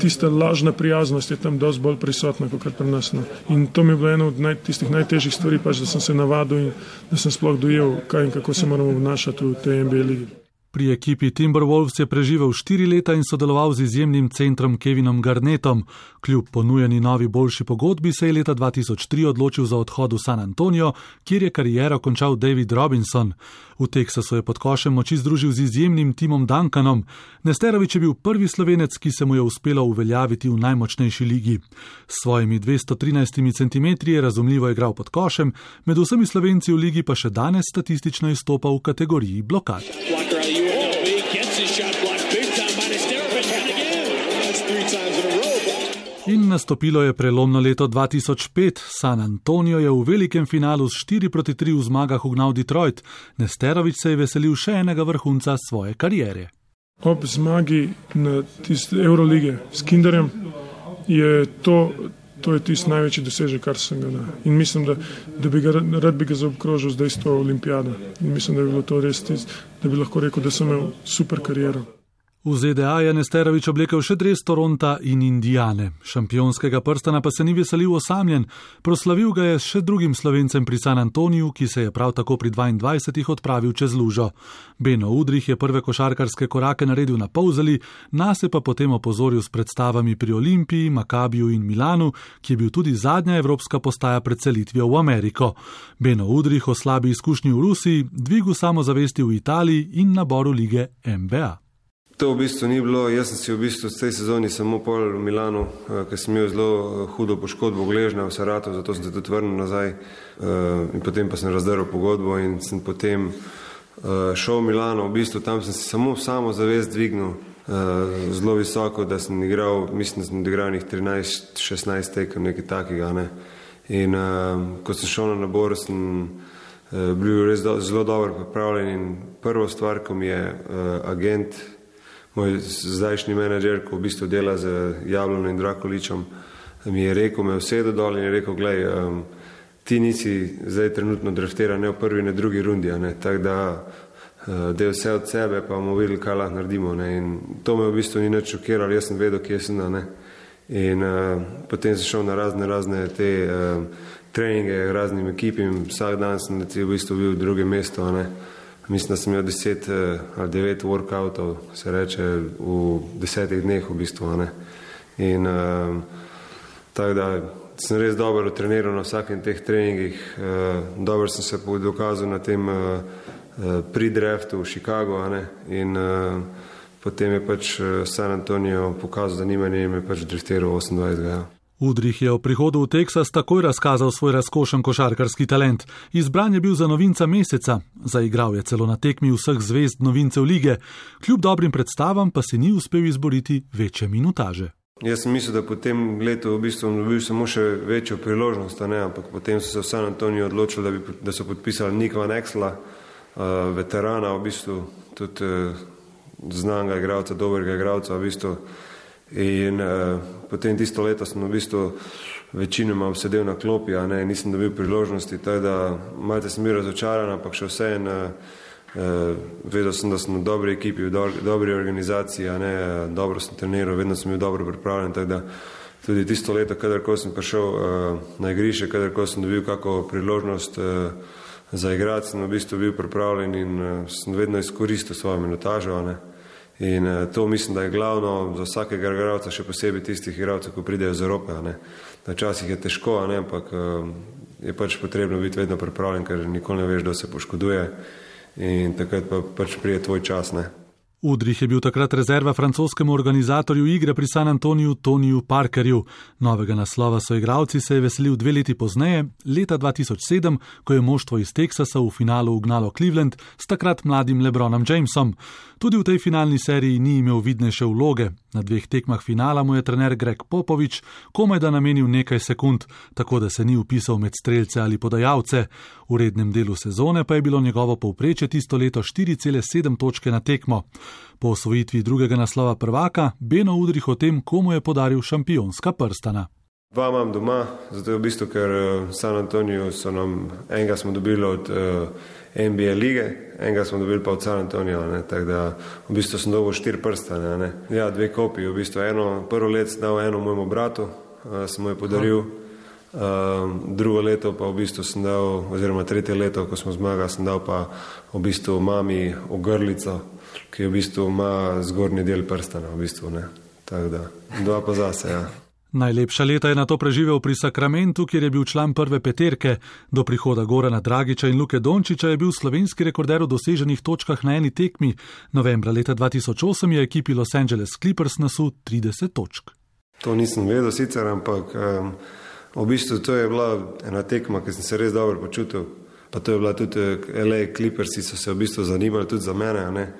tista lažna prijaznost je tam dost bolj prisotna, kot pri nas. No. In to mi je bilo eno od naj, tistih najtežjih stvari, pač da sem se navadil in da sem sploh dojel, kaj in kako se moramo obnašati v tej N B A ligi. Pri ekipi Timberwolves je preživel štiri leta in sodeloval z izjemnim centrom Kevinom Garnettom. Kljub ponujeni novi boljši pogodbi se je leta dva tisoč tri odločil za odhod v San Antonio, kjer je kariero končal David Robinson. V Teksasu je pod košem moči združil z izjemnim Timom Duncanom. Nesterović je bil prvi Slovenec, ki se mu je uspelo uveljaviti v najmočnejši ligi. S svojimi dvesto trinajst centimetri je razumljivo igral pod košem, med vsemi Slovenci v ligi pa še danes statistično izstopa v kategoriji blokad. In nastopilo je prelomno leto dva tisoč pet. San Antonio je v velikem finalu s štiri proti tri v zmagah ugnal Detroit. Nesterović se je veselil še enega vrhunca svoje kariere. Ob zmagi na tiste Eurolige s Kinderjem je to, to je tisti največji dosežek, kar sem ga na. In mislim, da, da bi ga rad bi ga zaobkrožil zdaj s to olimpijado. In mislim, da bi bilo to res tisto, da bi lahko rekel, da sem imel super kariero. V Z D A je Nesterović oblekel še dres Toronta in Indiane. Šampionskega prstana pa se ni veselil osamljen. Proslavil ga je še drugim Slovencem pri San Antoniju, ki se je prav tako pri dvaindvajsetih odpravil čez lužo. Beno Udrih je prve košarkarske korake naredil na Polzeli, nas je pa potem opozoril s predstavami pri Olimpiji, Makabiju in Milanu, ki je bil tudi zadnja evropska postaja pred selitvijo v Ameriko. Beno Udrih o slabi izkušnji v Rusiji, dvigu samozavesti v Italiji in naboru lige N B A. To v bistvu ni bilo, jaz sem si v bistvu v tej sezoni samo pol v Milanu, ker sem imel zelo hudo poškodbo gležnja v Saratu, zato sem se tudi vrnil nazaj in potem pa sem razdrl pogodbo in sem potem šel v Milano, v bistvu tam sem si samo samozavest dvignil zelo visoko, da sem igral, mislim, da sem igral njih trinajst šestnajst tekem, nekaj takega, ne. In ko sem šel na nabor, sem bil res do, zelo dobro pripravljen in prvo stvar, ko mi je agent, moj zdajšnji menedžer, ko v bistvu dela z Jablonom in Drakoličem, mi je rekel, me vsedel dol in je rekel, glej, um, ti nisi zdaj trenutno draftiran ne v prvi, ne drugi rundi, ne, tako da uh, da je vse od sebe, pa bomo videli, kaj lahko naredimo, ne, in to me v bistvu ni nič šokiralo, jaz sem vedel, kje sem, ne, in uh, potem sem šel na razne, razne te uh, treninge, raznim ekipim, vsak dan sem v bistvu bil v drugem mestu, ne. Mislim, da sem imel deset ali devet workoutov, se reče, v desetih dneh v bistvu, ne. In uh, tako da sem res dobro treniral na vsakem teh treningih, uh, dobro sem se dokazal na tem uh, pre-draftu v Chicago, ne. In uh, potem je pač San Antonio pokazal zanimanje in me pač draftiral osemindvajsetega. Ja. Udrih je o prihodu v Teksas takoj razkazal svoj razkošen košarkarski talent. Izbran je bil za novinca meseca. Zaigral je celo na tekmi vseh zvezd novincev lige. Kljub dobrim predstavam pa si ni uspel izboriti večje minutaže. Jaz sem mislil, da po tem letu v bistvu dobil samo še večjo priložnost, ne, ampak potem so se v San Antoniju odločili, da, bi, da so podpisali Nika Van Exela, uh, veterana v bistvu, tudi uh, znanega igralca, dobrega igralca v bistvu. In uh, potem tisto leto sem v bistvu večinoma sedel na klopi, a ne, nisem dobil priložnosti, tako da malce sem bil razočaran, ampak še vseeno uh, vedel sem, da sem v dobri ekipi, v do, dobri organizaciji, a ne, dobro sem treniral, vedno sem bil dobro pripravljen, tako da tudi tisto leto, kadarko sem prišel uh, na igrišče, kadarko sem dobil kako priložnost uh, za igrati, sem v bistvu bil pripravljen in uh, sem vedno izkoristil svojo minutažo, a ne. In uh, to mislim, da je glavno za vsakega igralca, še posebej tistih igralcev, ko pridejo z Evrope, a ne. Včasih je težko, a ne, ampak uh, je pač potrebno biti vedno pripravljen, ker nikoli ne veš, da se poškoduje in takrat pa pač pride tvoj čas, ne. Udrih je bil takrat rezerva francoskemu organizatorju igre pri San Antoniju Toniju Parkerju. Novega naslova so igralci se je veselil dve leti pozneje, leta dva tisoč sedem, ko je moštvo iz Teksasa v finalu ugnalo Cleveland s takrat mladim LeBronom Jamesom. Tudi v tej finalni seriji ni imel vidnejše vloge. Na dveh tekmah finala mu je trener Greg Popovič komaj da namenil nekaj sekund, tako da se ni vpisal med strelce ali podajalce. V rednem delu sezone pa je bilo njegovo povprečje tisto leto štiri cele sedem točke na tekmo. Po osvojitvi drugega naslova prvaka, Beno Udrih o tem, komu je podaril šampionska prstana. Dva imam doma, zato je v bistvu, ker v San Antoniju so nam, enega smo dobili od uh, N B A lige, enega smo dobili pa od San Antonija, ne, tako da v bistvu sem dobil štiri prstane, ne. Ja, dve kopiji, v bistvu eno, prvo let sem dal eno mojemu bratu, uh, sem mu je podaril, uh, drugo leto pa v bistvu sem dal, oziroma tretje leto, ko smo zmagali, sem dal pa v bistvu mami ogrlico, ki v bistvu ima zgornji del prstana, v bistvu, ne. Tako da, dva pa zase, ja. Najlepša leta je nato preživel pri Sakramentu, kjer je bil član prve peterke. Do prihoda Gorana Dragića in Luke Dončića je bil slovenski rekorder v doseženih točkah na eni tekmi. Novembra leta dva tisoč osem je ekipi Los Angeles Clippers nasul trideset točk. To nisem vedel sicer, ampak um, v bistvu to je bila ena tekma, ki sem se res dobro počutil. Pa to je bila tudi L A Clippersi, so se v bistvu zanimali tudi za mene, ne.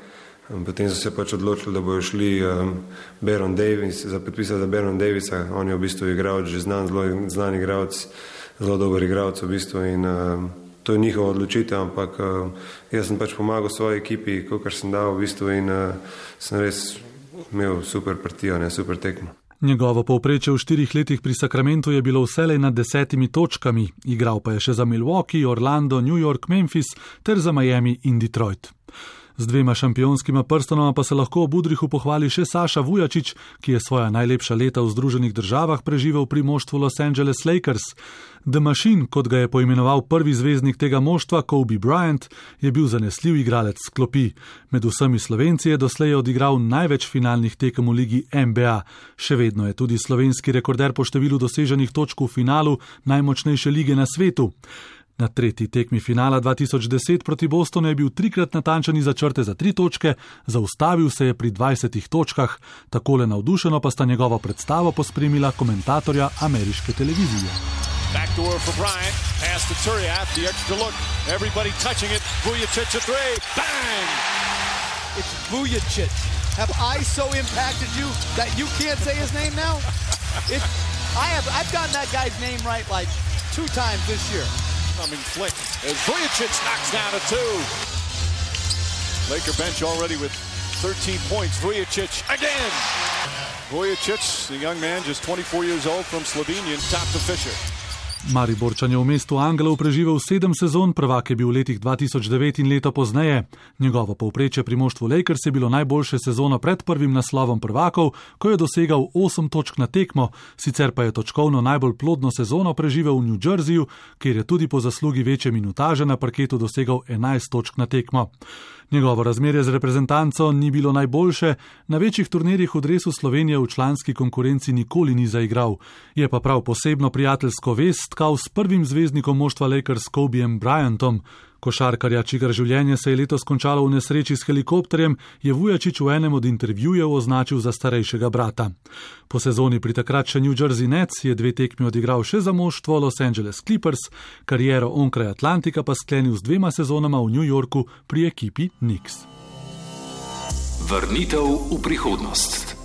Potem so se pač odločili, da bojo šli um, Baron Davis, za podpisati za Baron Davisa. On je v bistvu igralec, že znan, zelo znan igralec, zelo dober igralec v bistvu in um, to je njihova odločitev, ampak um, jaz sem pač pomagal svoji ekipi, kolikor sem dal v bistvu in uh, sem res imel super partijo, ne, super tekmo. Njegovo povprečje v štirih letih pri Sakramentu je bilo vselej nad desetimi točkami. Igral pa je še za Milwaukee, Orlando, New York, Memphis ter za Miami in Detroit. Z dvema šampionskima prstonoma pa se lahko ob Udrihu pohvali še Saša Vujačić, ki je svoja najlepša leta v Združenih državah preživel pri moštvu Los Angeles Lakers. The Machine, kot ga je poimenoval prvi zvezdnik tega moštva, Kobe Bryant, je bil zanesljiv igralec s klopi. Med vsemi Slovenci je doslej odigral največ finalnih tekem v ligi N B A. Še vedno je tudi slovenski rekorder po številu doseženih točk v finalu najmočnejše lige na svetu. Na tretji tekmi finala dva tisoč deset proti Bostonu je bil trikrat natančen iza črte za tri točke, zaustavil se je pri dvajsetih točkah. Takole navdušeno pa sta njegovo predstavo pospremila komentatorja ameriške televizije. Backdoor for Bryant, pass to Turiaf, the extra look, everybody touching it, Vujačić a three, bang! It's Vujačić. Have I so impacted you that you can't say his name now? It, I have, I've gotten that guy's name right like two times this year. Coming flick as Vujačić knocks down a two. Laker bench already with thirteen points. Vujačić again. Vujačić, the young man, just twenty-four years old from Slovenian, top to Fisher. Mariborčan je v mestu Angelov preživel sedem sezon, prvak je bil v letih dva tisoč devet in leto pozneje. Njegovo povprečje pri moštvu Lakers je bilo najboljše sezono pred prvim naslovom prvakov, ko je dosegal osem točk na tekmo, sicer pa je točkovno najbolj plodno sezono preživel v New Jerseyju, kjer je tudi po zaslugi večje minutaže na parketu dosegal enajst točk na tekmo. Njegovo razmerje z reprezentanco ni bilo najboljše, na večjih turnirjih v dresu Slovenije v članski konkurenci nikoli ni zaigral. Je pa prav posebno prijateljsko vez stkal s prvim zvezdnikom moštva Lakers Kobejem Bryantom. Košarkarja, čigar življenje se je letos končalo v nesreči s helikopterjem, je Vujačić v enem od intervjujev označil za starejšega brata. Po sezoni pri takrat še New Jersey Nets je dve tekmi odigral še za moštvo Los Angeles Clippers, kariero onkraj Atlantika pa sklenil z dvema sezonama v New Yorku pri ekipi Knicks. Vrnitev v prihodnost.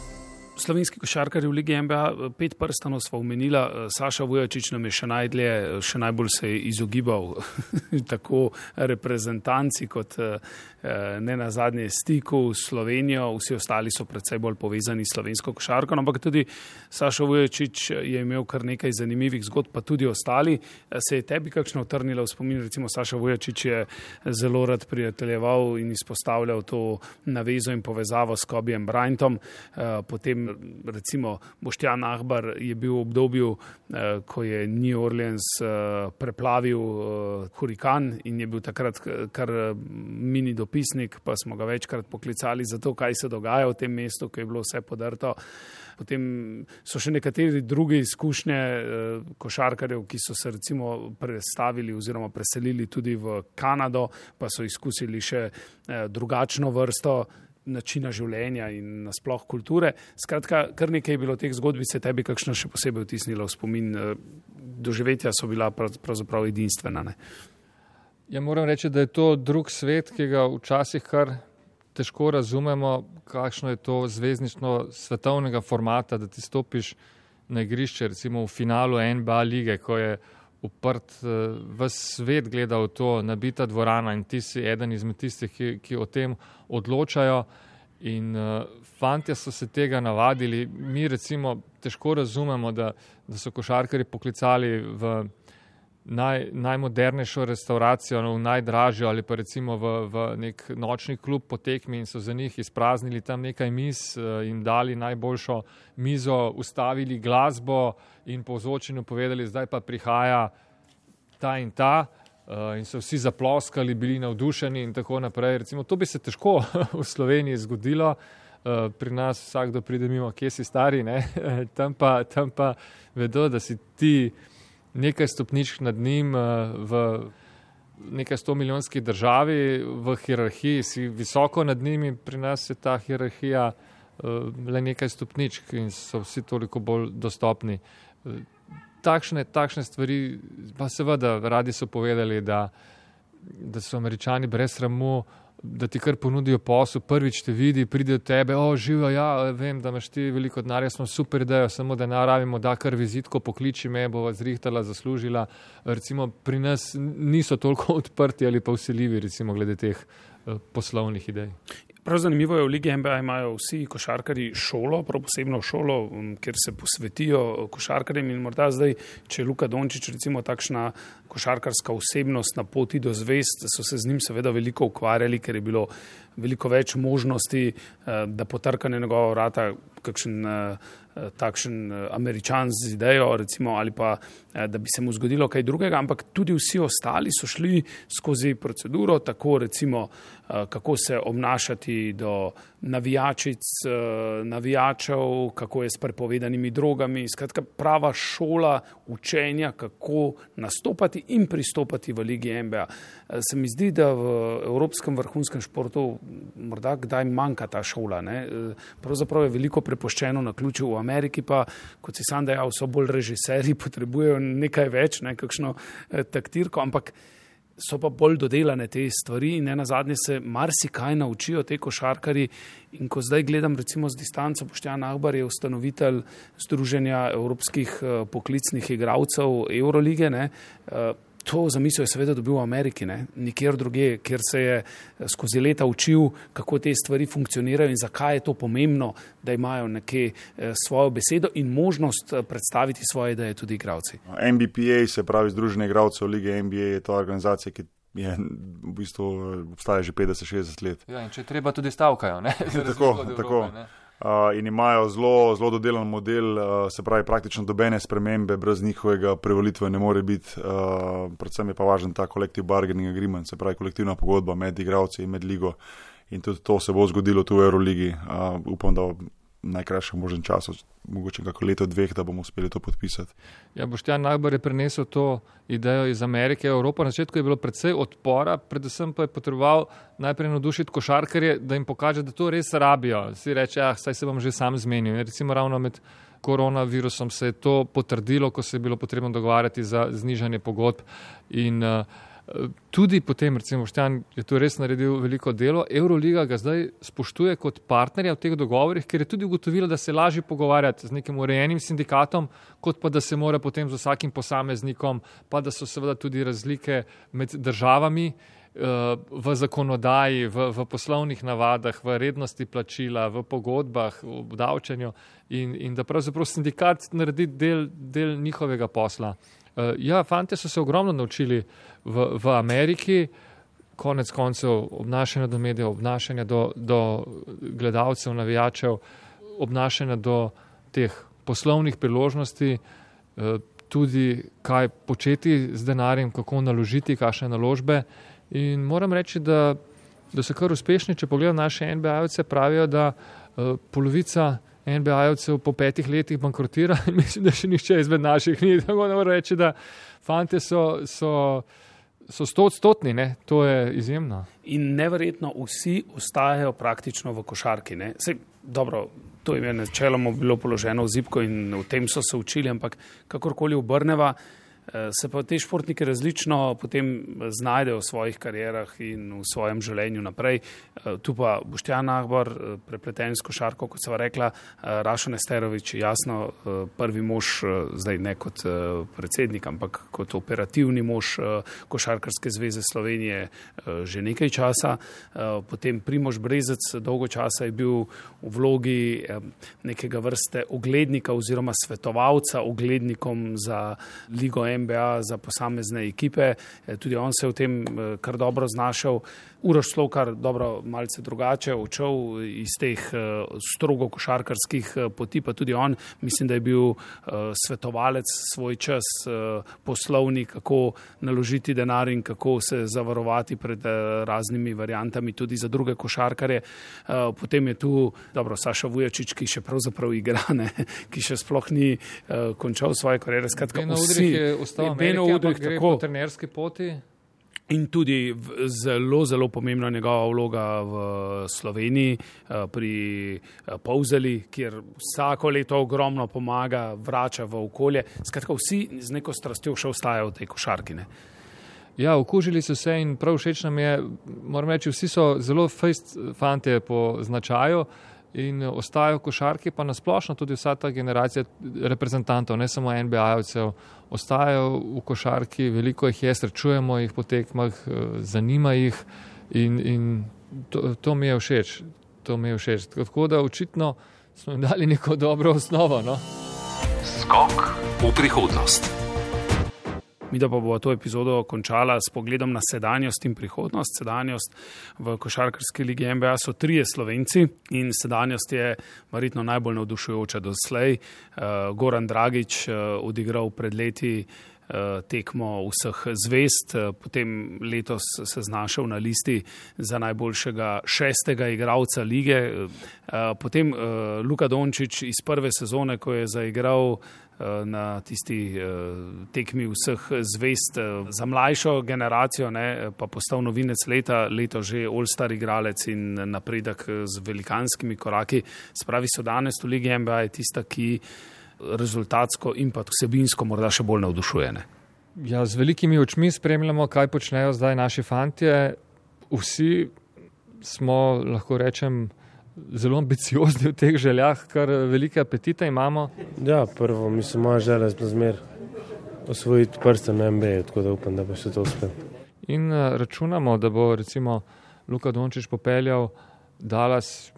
Slovenski košarkarji v ligi N B A, pet prstanov sva omenila, Saša Vujačić nam je še najdlje, še najbolj se je izogibal tako reprezentanci kot ne nazadnje stiku s Slovenijo, vsi ostali so predvsej bolj povezani s slovensko košarko, ampak tudi Saša Vujačić je imel kar nekaj zanimivih zgodb, pa tudi ostali. Se je tebi kakšno utrnilo v spomin, recimo Saša Vujačić je zelo rad prijateljeval in izpostavljal to navezo in povezavo s Kobejem Bryantom, potem recimo Boštjan Ahbar je bil v obdobju, ko je New Orleans preplavil hurikan in je bil takrat kar mini dopisnik, pa smo ga večkrat poklicali za to, kaj se dogaja v tem mestu, ko je bilo vse podrto. Potem so še nekateri drugi izkušnje košarkarjev, ki so se recimo prestavili oziroma preselili tudi v Kanado, pa so izkusili še drugačno vrsto načina življenja in nasploh kulture. Skratka, kar nekaj je bilo teh zgodbic, se tebi kakšno še posebej vtisnilo v spomin. Doživetja so bila pravzaprav edinstvena, ne? Ja, moram reči, da je to drug svet, ki ga včasih kar težko razumemo, kakšno je to zvezdništvo svetovnega formata, da ti stopiš na igrišče, recimo v finalu N B A lige, ko je uprt, ves svet gleda v to, nabita dvorana in ti si eden izmed tistih, ki, ki o tem odločajo in uh, fantje so se tega navadili. Mi recimo težko razumemo, da, da so košarkarji poklicali v naj, najmodernejšo restauracijo, v najdražjo ali pa recimo v, v nek nočni klub po tekmi in so za njih izpraznili tam nekaj miz, jim dali najboljšo mizo, ustavili glasbo in po ozvočenju povedali, zdaj pa prihaja ta in ta. in so vsi zaploskali, bili navdušeni in tako naprej. Recimo, to bi se težko v Sloveniji zgodilo. Pri nas vsakdo pride mimo, kje si stari, ne? Tam pa, tam pa vedo, da si ti nekaj stopničk nad njim v nekaj sto milijonski državi, v hierarhiji si visoko nad njimi, pri nas je ta hierarhija le nekaj stopničk in so vsi toliko bolj dostopni. Takšne, takšne stvari, pa seveda radi so povedali, da, da so Američani brez sramu, da ti kar ponudijo posel, prvič te vidi, pride do tebe, o, živijo, ja, vem, da imaš ti veliko denarja, smo super idejo, samo da ne rabimo, da kar vizitko pokliči me, bova zrihtala, zaslužila. Recimo pri nas niso toliko odprti ali pa vseljivi, recimo glede teh uh, poslovnih idej. Prav zanimivo je, v Ligi N B A imajo vsi košarkarji šolo, prav posebno šolo, kjer se posvetijo košarkarjem in morda zdaj, če je Luka Dončić recimo takšna košarkarska osebnost na poti do zvezd, so se z njim seveda veliko ukvarjali, ker je bilo veliko več možnosti, da potrka na njegova vrata kakšen takšen Američan z idejo, recimo, ali pa da bi se mu zgodilo kaj drugega, ampak tudi vsi ostali so šli skozi proceduro, tako recimo, kako se obnašati do navijačic, navijačev, kako je s prepovedanimi drogami, skratka prava šola učenja, kako nastopati in pristopati v Ligi N B A. Se mi zdi, da v evropskem vrhunskem športu morda kdaj manjka ta šola, ne? Pravzaprav je veliko prepuščeno na ključu, v Ameriki pa, kot si sam dejal, so bolj režiserji, potrebujejo nekaj več, ne, kakšno taktirko, ampak so pa bolj dodelane te stvari in nenazadnje se marsikaj naučijo te košarkarji. In ko zdaj gledam recimo z distanco, Boštjan Ahbar je ustanovitelj Združenja evropskih poklicnih igralcev Eurolige, ne, to zamisel je seveda dobil v Ameriki, ne, nikjer drugje, kjer se je skozi leta učil, kako te stvari funkcionirajo in zakaj je to pomembno, da imajo nekje svojo besedo in možnost predstaviti svoje ideje tudi igralci. N B P A, se pravi Združenje igralcev Lige N B A, je to organizacija, ki je v bistvu obstaja že petdeset šestdeset let. Ja, in če treba tudi stavkajo, ne? Tako, tako. Uh, in imajo zelo, zelo dodelan model, uh, se pravi praktično dobene spremembe brez njihovega prevolitve ne more biti, uh, predvsem je pa važen ta collective bargaining agreement, se pravi kolektivna pogodba med igralci in med ligo in tudi to se bo zgodilo tu v Euroligi, uh, upam, da v najkrajšem možnem času, mogoče kako leto dveh, da bomo uspeli to podpisati. Ja, Boštjan Ahbar je prenesel to idejo iz Amerike, Evropa. Na začetku je bilo precej odpora, predvsem pa je potreboval najprej navdušiti košarkarje, da jim pokaže, da to res rabijo. Si reče, ah, saj se bom že sam zmenil. Recimo ravno med koronavirusom se je to potrdilo, ko se je bilo potrebno dogovarjati za znižanje pogodb in uh, tudi potem, recimo, Boštjan je tu res naredil veliko delo. Euroliga ga zdaj spoštuje kot partnerja v teh dogovorih, ker je tudi ugotovila, da se lažje pogovarjati z nekim urejenim sindikatom, kot pa da se mora potem z vsakim posameznikom, pa da so seveda tudi razlike med državami v zakonodaji, v, v poslovnih navadah, v rednosti plačila, v pogodbah, v obdavčenju in, in da pravzaprav sindikat naredi del, del njihovega posla. Ja, fante so se ogromno naučili v, v Ameriki, konec koncev obnašanja do medijev, obnašanja do, do gledalcev, navijačev, obnašanja do teh poslovnih priložnosti, tudi kaj početi z denarjem, kako naložiti, kakšne naložbe. In moram reči, da, da so kar uspešni, če pogledam naše N B A-jevce, pravijo, da uh, polovica N B A-jevcev po petih letih bankrotira in mislim, da še nišče izmed naših ni. Tako da moram reči, da fante so, so, so stotstotni, ne? To je izjemno. In neverjetno vsi ostajajo praktično v košarki, ne? Sej, dobro, to jim je načeloma bilo položeno v zibko in v tem so se učili, ampak kakorkoli obrneva, se pa te športniki različno potem znajdejo v svojih karierah in v svojem življenju naprej. Tu pa Boštjan Ahbar, prepleten s košarko, kot sva rekla, Rašo Nesterović, jasno, prvi mož, zdaj ne kot predsednik, ampak kot operativni mož Košarkarske zveze Slovenije že nekaj časa. Potem Primož Brezec, dolgo časa je bil v vlogi nekega vrste oglednika oziroma svetovalca oglednikom za Ligo N B A, za posamezne ekipe. Tudi on se je v tem kar dobro znašel. Uroš Slokar, dobro, malce drugače odšel iz teh uh, strogo košarkarskih uh, poti, pa tudi on, mislim, da je bil uh, svetovalec svoj čas, uh, poslovnik, kako naložiti denar in kako se zavarovati pred uh, raznimi variantami tudi za druge košarkarje. Uh, potem je tu, dobro, Saša Vujačić, ki še pravzaprav igra, ne, ki še sploh ni uh, končal svoje kariere. Skratka, Beno vsi, Udrih je ostal v Ameriki, ampak gre po trenerski poti. In tudi zelo, zelo pomembna njegova vloga v Sloveniji pri Polzeli, kjer vsako leto ogromno pomaga, vrača v okolje. Skratka, vsi z neko strastjo še ostajajo v tej košarki. Ne? Ja, okužili so se in prav všeč nam je, moram reči, vsi so zelo fejst fantje po značaju in ostajajo košarki, pa nasplošno tudi vsa ta generacija reprezentantov, ne samo N B A-jevcev, ostajajo v košarki, veliko jih je, srečujemo jih po tekmah, zanima jih in, in to, to mi je všeč, to mi je všeč. Tako da očitno smo jim dali neko dobro osnovo. No? Skok v prihodnost. Mi da pa bo to epizodo končala s pogledom na sedanjost in prihodnost. Sedanjost v košarkarski ligi N B A so trije Slovenci in sedanjost je verjetno najbolj navdušujoča doslej. Uh, Goran Dragić uh, odigral pred leti uh, tekmo vseh zvezd, uh, potem letos se znašel na listi za najboljšega šestega igralca lige. Uh, potem uh, Luka Dončić iz prve sezone, ko je zaigral na tisti uh, tekmi vseh zvest uh, za mlajšo generacijo, ne, pa postal novinec leta, leto že all-star igralec in napredek z velikanskimi koraki. Spravi so danes v ligi N B A je tista, ki rezultatsko in pa vsebinsko morda še bolj navdušuje. Ne. Ja, z velikimi očmi spremljamo, kaj počnejo zdaj naši fantje. Vsi smo, lahko rečem, zelo ambiciozni v teh željah, kar velike apetite imamo. Ja, prvo, mislim, moja želja je zmer osvojiti prsten na N B A, tako da upam, da bo še to uspel. In računamo, da bo recimo Luka Dončić popeljal Dallas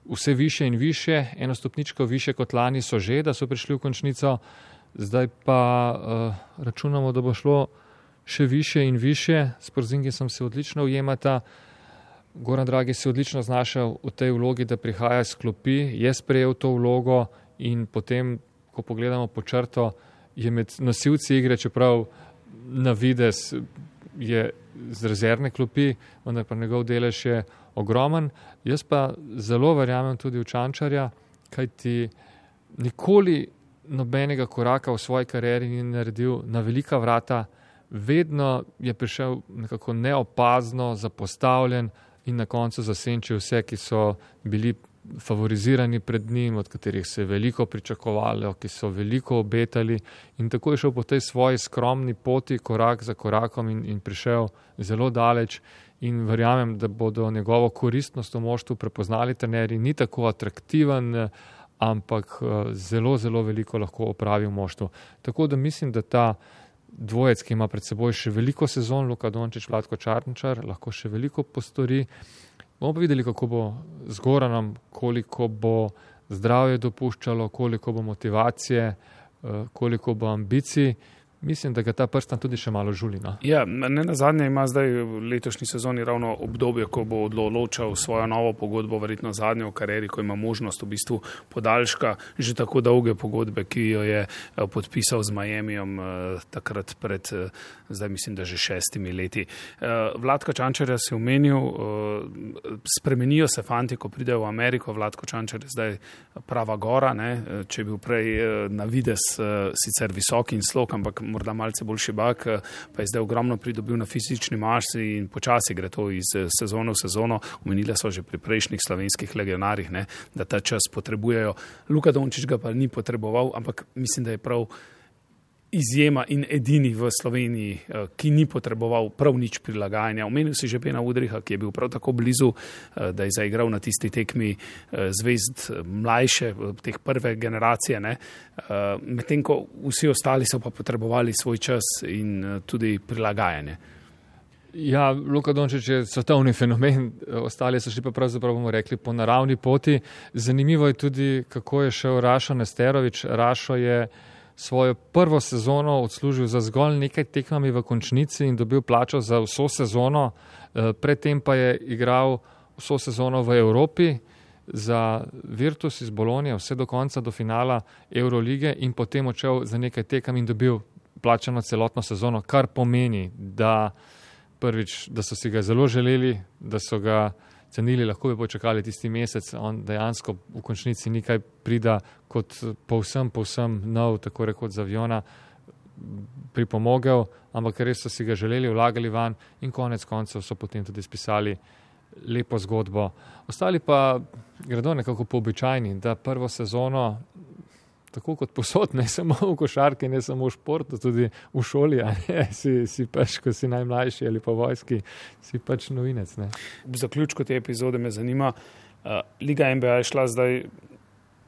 vse više in više, eno stopničko više kot lani so že, da so prišli v končnico, zdaj pa uh, računamo, da bo šlo še više in više, s Porzingisom se odlično ujemata. Goran Dragić se odlično znašel v tej vlogi, da prihaja iz klopi, je sprejel to vlogo in potem, ko pogledamo po črto, je med nosilci igre, čeprav na vides je z rezervne klopi, vendar pa njegov delež je ogromen. Jaz pa zelo verjamem tudi v Čančarja, kajti nikoli nobenega koraka v svoji karieri ni naredil na velika vrata, vedno je prišel nekako neopazno, zapostavljen, in na koncu zasenčil vse, ki so bili favorizirani pred njim, od katerih se je veliko pričakovalo, ki so veliko obetali in tako je šel po tej svoji skromni poti korak za korakom in, in prišel zelo daleč in verjamem, da bodo njegovo koristnost v moštvu prepoznali trenerji, ni tako atraktiven, ampak zelo, zelo veliko lahko opravi v moštvu. Tako da mislim, da ta dvojec, ki ima pred seboj še veliko sezon, Luka Dončić, Vlatko Čarnčar, lahko še veliko postori. Bomo pa videli, kako bo z Goranom, koliko bo zdravje dopuščalo, koliko bo motivacije, koliko bo ambicij. Mislim, da ga ta prstan tudi še malo žuli. No? Ja, ne nazadnje ima zdaj v letošnji sezoni ravno obdobje, ko bo odločal svojo novo pogodbo, verjetno zadnjo v karieri, ko ima možnost v bistvu podaljška že tako dolge pogodbe, ki jo je podpisal z Miamijem takrat pred, zdaj mislim, da že šestimi leti. Vlatko Čančarja se je omenil, spremenijo se fanti, ko pridejo v Ameriko. Vlatko Čančar je zdaj prava gora, ne? Če je bil prej na vides sicer visok in slog, ampak morda malce bolj šibak, pa je zdaj ogromno pridobil na fizični masi in počasi gre to iz sezone v sezono. Omenile so že pri prejšnjih slovenskih legionarjih, ne, da ta čas potrebujejo. Luka Dončić ga pa ni potreboval, ampak mislim, da je prav izjema in edini v Sloveniji, ki ni potreboval prav nič prilagajanja. Omenil si že Bena Udriha, ki je bil prav tako blizu, da je zaigral na tisti tekmi zvezd mlajše, teh prve generacije, ne. Medtem ko vsi ostali so pa potrebovali svoj čas in tudi prilagajanje. Ja, Luka Dončić je svetovni fenomen, ostali so šli pa pravzaprav, bomo rekli, po naravni poti. Zanimivo je tudi, kako je šel Rašo Nesterović. Rašo je svojo prvo sezono odslužil za zgolj nekaj tekmami v končnici in dobil plačo za vso sezono. Predtem pa je igral vso sezono v Evropi za Virtus iz Bolonije, vse do konca, do finala Eurolige in potem odšel za nekaj tekem in dobil plačano celotno sezono, kar pomeni, da prvič, da so si ga zelo želeli, da so ga cenili, lahko bi počakali tisti mesec, on dejansko v končnici nikaj prida kot povsem, povsem nov, tako rekoč z aviona, pripomogel, ampak res so si ga želeli, vlagali van in konec koncev so potem tudi spisali lepo zgodbo. Ostali pa gredo nekako po običajni, da prvo sezono, tako kot posod, ne samo v košarki, ne samo v športu, tudi v šoli, a ne, si, si pač, ko si najmlajši ali pa vojski, si pač novinec. Ne. V zaključku te epizode me zanima, uh, Liga N B A je šla zdaj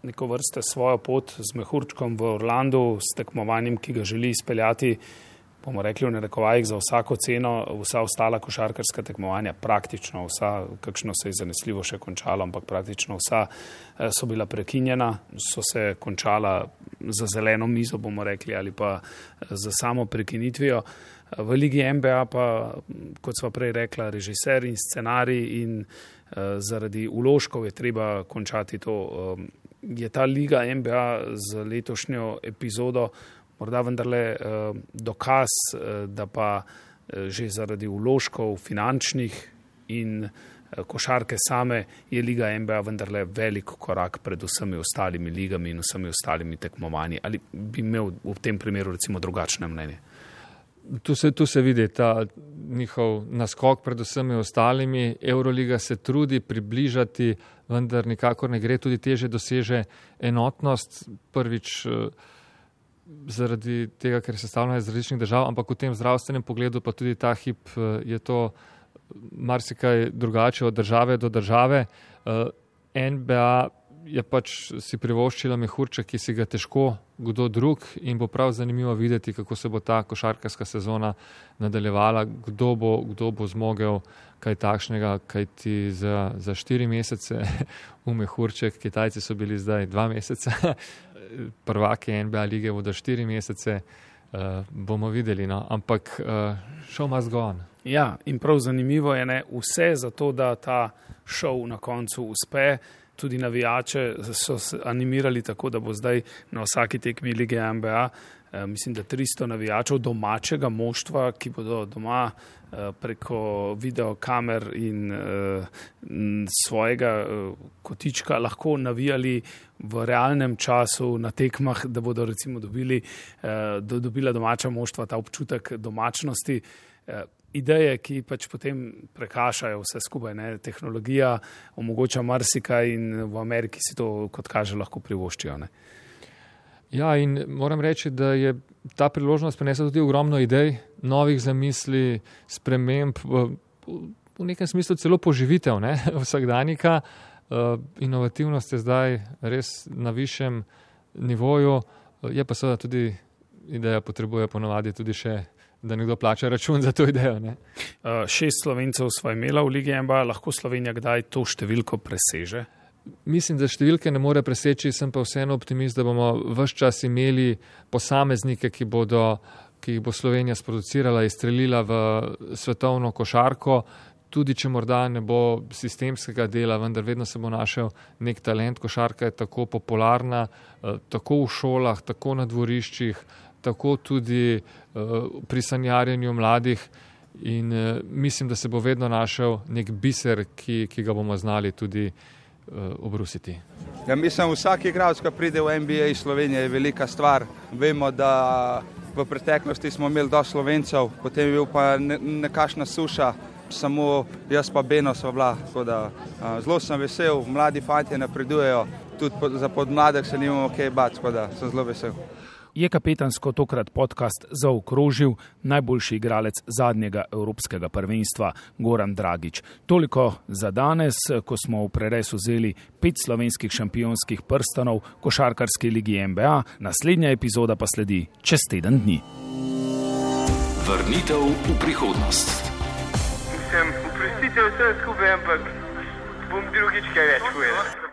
neko vrste svojo pot z mehurčkom v Orlandu, s tekmovanjem, ki ga želi izpeljati, bomo rekli v narekovajih, za vsako ceno, vsa ostala košarkarska tekmovanja, praktično vsa, kakšno se je zanesljivo še končalo, ampak praktično vsa so bila prekinjena, so se končala za zeleno mizo, bomo rekli, ali pa za samo prekinitvijo. V Ligi N B A pa, kot sva prej rekla, režiser in scenarij in uh, zaradi vložkov je treba končati to. Um, je ta Liga N B A z letošnjo epizodo morda vendarle uh, dokaz, uh, da pa uh, že zaradi vložkov finančnih in uh, košarke same je Liga N B A vendarle velik korak pred vsemi ostalimi ligami in vsemi ostalimi tekmovanji. Ali bi imel v tem primeru recimo drugačne mnenje? Tu se, tu se vidi ta njihov naskok pred vsemi ostalimi. Euroliga se trudi približati, vendar nikakor ne gre, tudi teže doseže enotnost. Prvič zaradi tega, ker je sestavljena iz različnih držav, ampak v tem zdravstvenem pogledu pa tudi ta hip je to marsikaj drugače od države do države. N B A je pač si privoščila mehurček, ki si ga težko kdo drug in bo prav zanimivo videti, kako se bo ta košarkarska sezona nadaljevala, kdo bo, kdo bo zmogel kaj takšnega, kaj ti za, za štiri mesece v mehurček, Kitajci so bili zdaj dva meseca, prvaki N B A lige bodo štiri mesece, uh, bomo videli, no, ampak uh, show must go on. Ja, in prav zanimivo je, ne, vse za to, da ta show na koncu uspe. Tudi navijače so se animirali tako, da bo zdaj na vsaki tekmi Lige N B A, eh, mislim, da tristo navijačev domačega moštva, ki bodo doma eh, preko videokamer in eh, svojega eh, kotička lahko navijali v realnem času na tekmah, da bodo recimo dobili, eh, do, dobila domača moštva ta občutek domačnosti. Eh, Ideje, ki pač potem prekašajo vse skupaj, ne? Tehnologija omogoča marsikaj in v Ameriki si to, kot kaže, lahko privoščijo. Ne? Ja, in moram reči, da je ta priložnost prinesla tudi ogromno idej, novih zamisli, sprememb, v, v nekem smislu celo poživitev, ne? Vsakdanika. Uh, inovativnost je zdaj res na višjem nivoju, je pa seveda tudi ideja potrebuje ponovadi tudi še, da nekdo plača račun za to idejo. Ne? Uh, šest Slovencev sva imela v Ligi N B A, lahko Slovenija kdaj to številko preseže? Mislim, da številke ne more preseči, sem pa vseeno optimist, da bomo ves čas imeli posameznike, ki bodo, ki jih bo Slovenija sproducirala, izstrelila v svetovno košarko, tudi če morda ne bo sistemskega dela, vendar vedno se bo našel nek talent. Košarka je tako popularna, tako v šolah, tako na dvoriščih, tako tudi uh, pri sanjarjenju mladih in uh, mislim, da se bo vedno našel nek biser, ki, ki ga bomo znali tudi uh, obrusiti. Ja, mislim, vsak igralec, ki pride v N B A iz Slovenije, je velika stvar. Vemo, da v preteklosti smo imeli dosti Slovencev, potem je bil pa ne, nekašna suša, samo jaz pa Beno sva bila. Da, uh, zelo sem vesel, mladi fantje napredujejo, tudi po, za podmladek se nimamo kaj bati, da sem zelo vesel. Je kapetansko tokrat podcast zaokrožil najboljši igralec zadnjega evropskega prvenstva Goran Dragić. Toliko za danes, ko smo v preres vzeli pet slovenskih šampionskih prstanov košarkarske Ligi N B A. Naslednja epizoda pa sledi čez teden dni. Vrnitev v prihodnost. Mislim, oprostite vse skupaj, ampak bom drugič kaj več povedal.